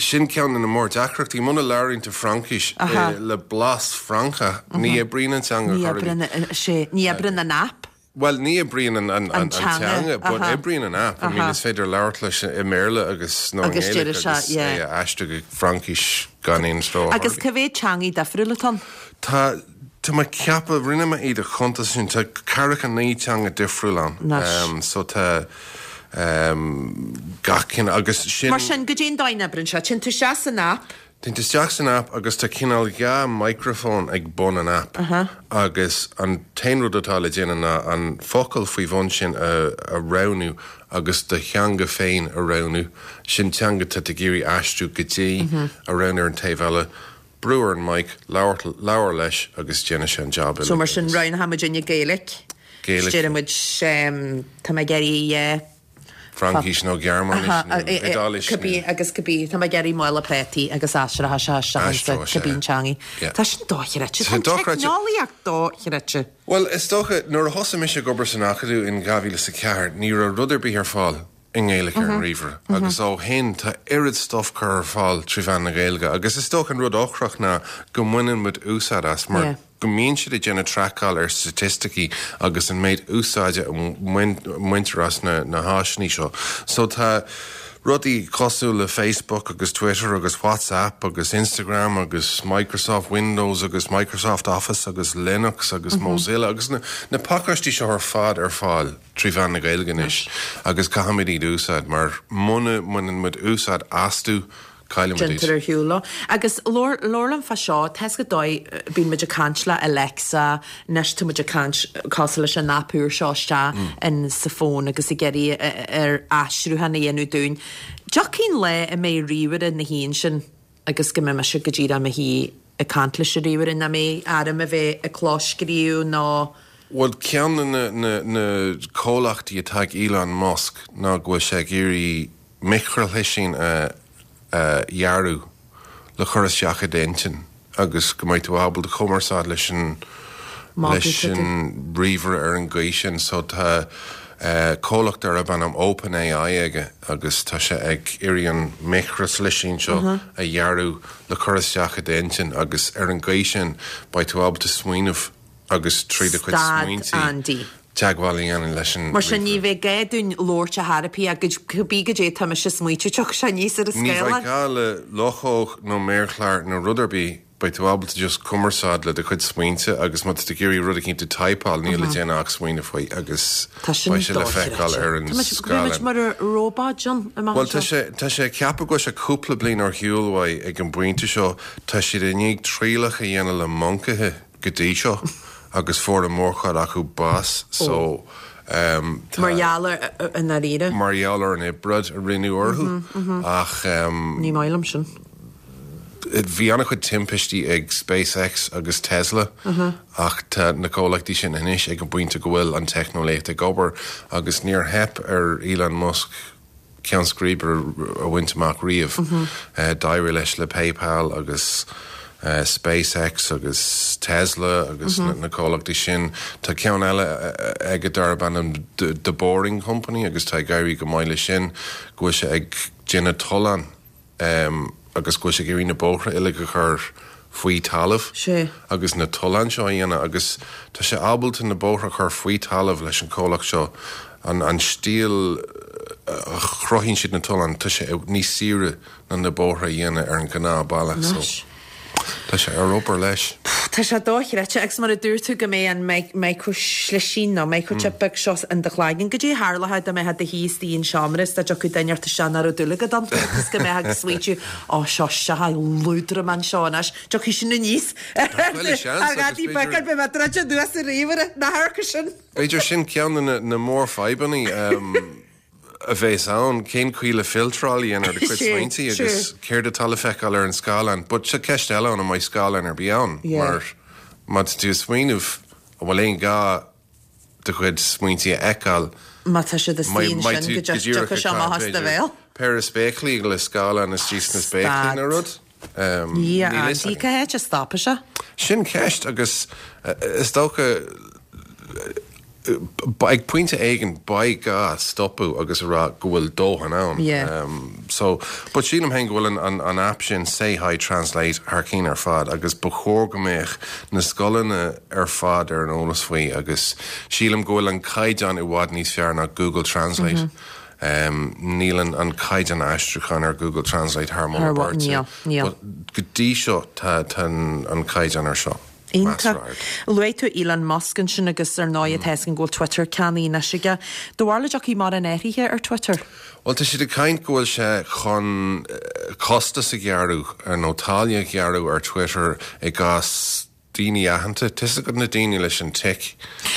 S9: sin ceann de na mór-deacrachtaí, muna labhraíonn tú Fraincis le blas Francach, ní oibríonn an teanga
S1: Ní oibríonn, sé, ní oibríonn an app.
S9: Bhuel, ní oibríonn an, an, an, teanga, but oibríonn an app. I mean, is féidir labhairt leis i mBéarla agus nó i nGaeilge agus é a aistriú go Fraincis gan aon stró.
S1: Agus cá mhéad teangaí difriúil atá ann?
S9: Tá, tá mé ag ceapadh, rinne mé iad a chuntas sin, tá ceathracha naoi teanga difriúil ann.
S1: Anois.
S9: So tá gach cineál agus sin.
S1: Mar sin, goidé an dóigh a n-oibríonn sé? Téann tú isteach san app.
S9: Téann tú isteach san app agus tá cineál dhá micreafón ag bun an app agus an t-aon rud atá le déanamh ná an focal faoi bhun sin a roghnú agus do theanga féin a roghnú, sin teanga atá tú ag iarraidh aistriú go dtí, a roghnú ar an taobh eile, brú ar an mic, labhair leis agus déanfaidh sé an jab uilig.
S1: So mar sin roghnóidh muidinne Gaeilge.
S9: Gaeilge.
S1: Déarfaidh muid, tá mé ag iarraidh.
S9: Fraincis nó Gearmáinis nó Iodáilis nó.
S1: Cibé agus cibé, tá mé ag iarraidh mála préataí agus aistreoidh sé isteach ansa cibé an teangaidh. Tá sin dochreidte. Tá an teicneolaíocht dochreidte.
S9: Bhuel, is dócha, nuair a thosaigh mise ag obair san Acadamh in dhá mhíle is a ceathair, ní raibh rud ar bith ar fáil i nGaeilge ar an ríomhaire agus ó shin tá oiread stuif curtha ar fáil trí mheán na Gaeilge agus is dócha an rud ocrach ná go mbaineann muid úsáid as mar go mbíonn siad ag déanamh traiceáil ar staitisticí agus an méid úsáide a mbaintear as na na háiseanna seo. So tá rudaí cosúil le Facebook agus Twitter agus WhatsApp agus Instagram agus Microsoft Windows agus Microsoft Office agus Linux agus Mozilla agus na na pacáistí seo ar fad ar fáil trí mheán na Gaeilge anois agus caithfimid iad a úsáid mar muna mbaineann muid úsáid astu Cailleann muid iad.
S1: Déantar ar shiúl leo. Agus labhair liom fá seo, tá 'fhios agat an dóigh, bíonn muid ag caint le Alexa, anois tá muid ag caint cosúil leis an aip úr seo isteach in sa fón agus ag iarraidh air aistriúchán a dhéanamh dúinn. Tiocfaidh an lá a mbeidh ríomhaire ina shuí ansin agus go mbeidh mise go díreach i mo shuí ag caint leis an ríomhaire, nach mbeidh orm a bheith ag clóscríobh nó.
S9: Bhuel, ceann de na na na comhlachtaí atá ag Elon Musk ná go bhfuil sé ag iarraidh micreashlisín a dhearadh le cur isteach i d'intinn agus go mbeidh tú ábalta cumarsáid leis an leis an ríomhaire ar an gcaoi sin. So tá comhlacht darb ainm OpenAI aige agus tá sé ag iarraidh an micreashlisín seo a dhearadh le cur isteach i d'intinn agus ar an gcaoi sin beidh tú ábalta smaoineamh agus trí do chuid
S1: Stad
S9: smaointe
S1: Andy.
S9: teagmháil a dhéanamh leis an
S1: Mar sin ní
S9: ríomhaire.
S1: bheidh gá dúinn labhairt ar chor ar bith ach cibé goidé atá mise ag smaoitiú tiocfaidh sé aníos ar an
S9: Ní bheidh
S1: scáileán.
S9: gá le luchóg nó méarchlár nó rud ar bith, beidh tú ábalta just cumarsáid le do chuid smaointe agus má tá tú ag iarraidh rud eicínt a typeáil níl le déanamh ach smaoineamh faoi agus
S1: Tá sin
S9: beidh sé le feiceáil
S1: dochreidte.
S9: ar an
S1: Tá muid, beidh muid
S9: scáileán.
S1: mar róbáid ann amach
S9: Bhuel tá
S1: anseo.
S9: sé, tá sé ceaptha go bhfuil sé cúpla bliain ar shiúl uaidh ag an bpointe seo, tá siad i ndiaidh trialacha a dhéanamh le moncaithe go dtí seo agus fuair an mhórchuid acu bás so tá.
S1: Mar gheall ar i ndáiríre.
S9: Mar gheall ar an oibreáid a rinneadh orthu ach.
S1: Ní maith liom sin.
S9: Bhí an-chuid timpistí ag SpaceX agus Tesla ach tá na comhlachtaí sin anois ag an bpointe go bhfuil an teicneolaíocht ag obair agus níor theip ar Elon Musk ceann scríbe a bhaint amach riamh. D'éirigh leis le PayPal agus SpaceX agus Tesla agus na comhlachtaí sin. Tá ceann eile aige darb ainm The Boring Company agus tá ag éirí go maith leis sin, go bhfuil sé ag déanamh tollán agus go bhfuil sé ag iarraidh na bóithre uilig a chur faoi talamh agus na tolláin seo a dhéanamh agus tá sé ábalta na bóithre a chur faoi talamh leis an comhlacht seo. An an stíl a chruthaíonn siad na tolláin, tá sé níos saoire ná na bóithre a dhéanamh ar an gnáthbhealach so tá sé ar obair leis.
S1: Tá sé dochreidte agus mar a dúirt tú go mbeidh an micro-slisín nó microchip beag seo in do chloigeann. Goidé a tharlódh dá mbeifeá i do shuí istigh i seomra is dá dtiocfadh duine ort isteach nach raibh dúil agat ann agus go mbeifeá ag smaointiú Ó seo seo lúdramán seo anois, tiocfaidh sin aníos ar ghadaí beag ar bith má druid anuas an ríomhaire, na hamharc sin.
S9: B'fhéidir sin ceann de na mórfhadhbanna. a bheas ann, cén chaoi le filtráil a dhéanamh ar do chuid smaointe agus céard atá le feiceáil ar an scáileán. But seo ceist eile ann, an mbeidh scáileán ar bith ann? Mar má tá tú ag smaoineamh, an bhfuil aon ghá do chuid smaointe a fheiceáil?
S1: Má tá siad istigh ansin, go dtiocfaidh sé amach as do bhéal.
S9: Péire spéaclaí le scáileán istigh sna spéaclaí nó rud?
S1: Níl a fhios agam. Cá háit a stopfaidh sé?
S9: Sin ceist agus is dócha ag pointe éigin beidh gá stopadh agus a rá go bhfuil dóthain ann. So, but sílim féin go bhfuil an an aip sin Say Hi Translate thar cinn ar fad agus ba chóir go mbeadh na scoileanna ar fad ar an eolas faoi agus sílim go bhfuil an caighdeán i bhfad níos fearr ná Google Translate. Níl an caighdeán aistriúcháin ar Google Translate thar moladh beirte. But go dtí seo tá an caighdeán ar seo.
S1: Iontach. Luaigh tú Elon Musk ansin agus ar ndóigh tá a fhios againn go bhfuil Twitter ceannaithe anois aige. Do bharúil an dtiocfaidh mórán athraithe ar Twitter?
S9: Bhuel tá siad ag caint go bhfuil sé chun costas a ghearradh nó táille a ghearradh ar Twitter i gcás daoine aitheanta. Tá 'fhios agat na daoine leis an tic,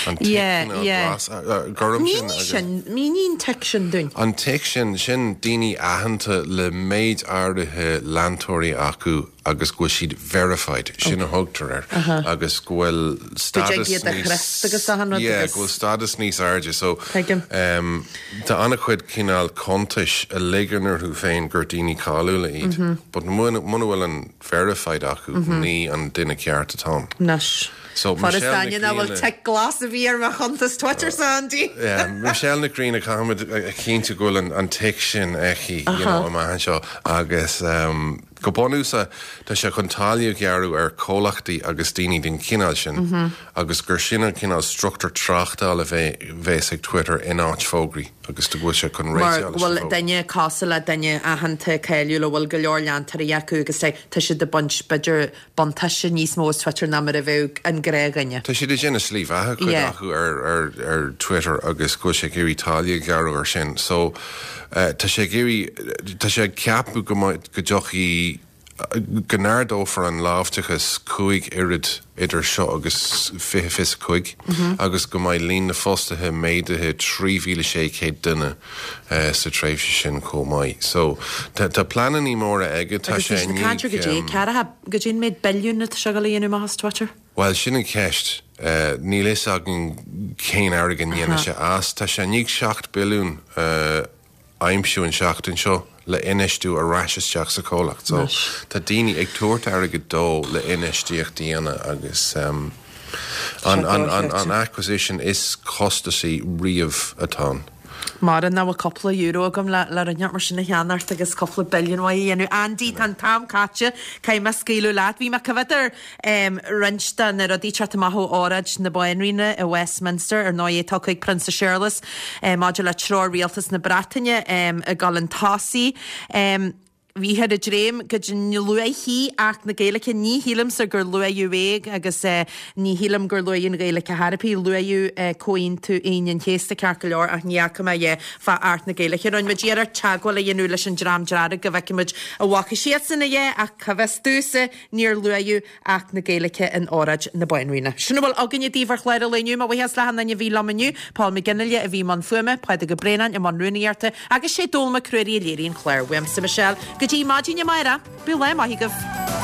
S9: an tic
S1: Yeah, yeah.
S9: glas, gorm sin.
S1: Mínigh sin, mínigh an tic sin dúinn.
S9: An tic sin, sin daoine aitheanta le méid áirithe leantóirí acu agus go bhfuil siad verified, sin a thugtar air, agus go bhfuil stádas níos, yeah, go bhfuil stádas níos airde. So, tá an-chuid cineál cuntais a ligeann orthu féin gur daoine cáiliúla iad, but muna bhfuil an verified acu, ní an duine ceart atá ann.
S1: Anois.
S9: So,
S1: Fuair
S9: Michelle
S1: Aine
S9: Nic
S1: nach bhfuil
S9: Grianna.
S1: tic glas a bhí ar mo chuntas Twitter sa Andy.
S9: Yeah, Michelle Nic Grianna, caithfimid a chinntiú go bhfuil an, an tic sin aici, you know, amach anseo agus um, go bunúsach tá sé chun táille a ghearradh ar chomhlachtaí agus daoine den chineál sin agus gur sin an cineál struchtúr tráchtála a bhe, bheas ag Twitter in áit fógraí agus go bhfuil sé chun
S1: Mar
S9: réiteach
S1: go
S9: leis an
S1: bhfuil
S9: bhfógra.
S1: duine cosúil le duine aitheanta cáiliúil a bhfuil go leor leantóirí acu agus tá tá siad ag baint b'fhéidir buntáiste níos mó as Twitter ná mar a bheadh an gnáthdhuine.
S9: Tá siad ag déanamh slí bheatha cuid
S1: Yeah.
S9: acu ar, ar, ar Twitter agus go bhfuil sé ag iarraidh táille a ghearradh ar sin. So uh, tá sé ag iarraidh tá sé ag ceapadh go mbeidh- go dtiocfaidh go n-ardófar an láimhdeachas cúig oiread idir seo agus fiche fiche cúig agus go mbeidh líon na fostaithe méadaithe trí mhíle sé chéad duine uh, sa tréimhse sin chomh maith. So tá tá pleananna móra aige tá
S1: Agus
S9: sé
S1: tá siad ag caint ar goidé ceathracha goidé an méid billiún atá sé ag dul a dhéanamh amach as Twitter.
S9: Bhuel sin an ceist. Uh, níl fhios againn cén airgead a ndéanfaidh sé as. Tá sé i ndiaidh seacht billiún uh, aimsiú an seachtain seo le infheistiú ar ais isteach sa chomhlacht. So tá daoine ag tabhairt airgead dó le infheistíocht a dhéanamh agus um, an, an, an, an acquisition is costasaí riamh atá ann.
S1: Mar nach bhfuil cúpla euro agam le le rud mar sin a cheannacht agus cúpla billiún uaidh a dhéanamh. Andy tá an t-am caite caithfidh mé scaoileadh leat. Bhí mé coimhéad ar um, roinnt de na rudaí teacht amach ó óráid na Banríona i Westminster ar ndóigh tugtha ag Prionsa Séarlas um, maidir le treoir rialtas na Breataine um, ag dul chun tosaigh. Um, Bhíothar ag dréim go luafaí Acht na Gaeilge ní shílimse gur luadh é agus eh, ní shílim gur luadh an Ghaeilge ar bith luadh eh, Comhaontú Aoine an Chéasta ceart go leor ach ní fhaca mé é fá Acht na Gaeilge. Rinne muid iarracht teagmháil a dhéanamh leis an Dream Dearg go bhfeicfimid an bhfaca siadsan é ach cá bhfios domhsa níor luadh Acht na Gaeilge in óráid na Banríona. Sin a bhfuil againne daoibh ar chlár an lae inniu, mo bhuíochas le hachan duine a bhí liom inniu, Paul McGinley a bhí i mbun fuaime, Pádraig Ó Braonáin i mbun rúnaíochta agus sé Dól Mac Ruairí a léirigh an clár. Uaimse Michelle go dtí maidin amárach, bíodh lá maith agaibh.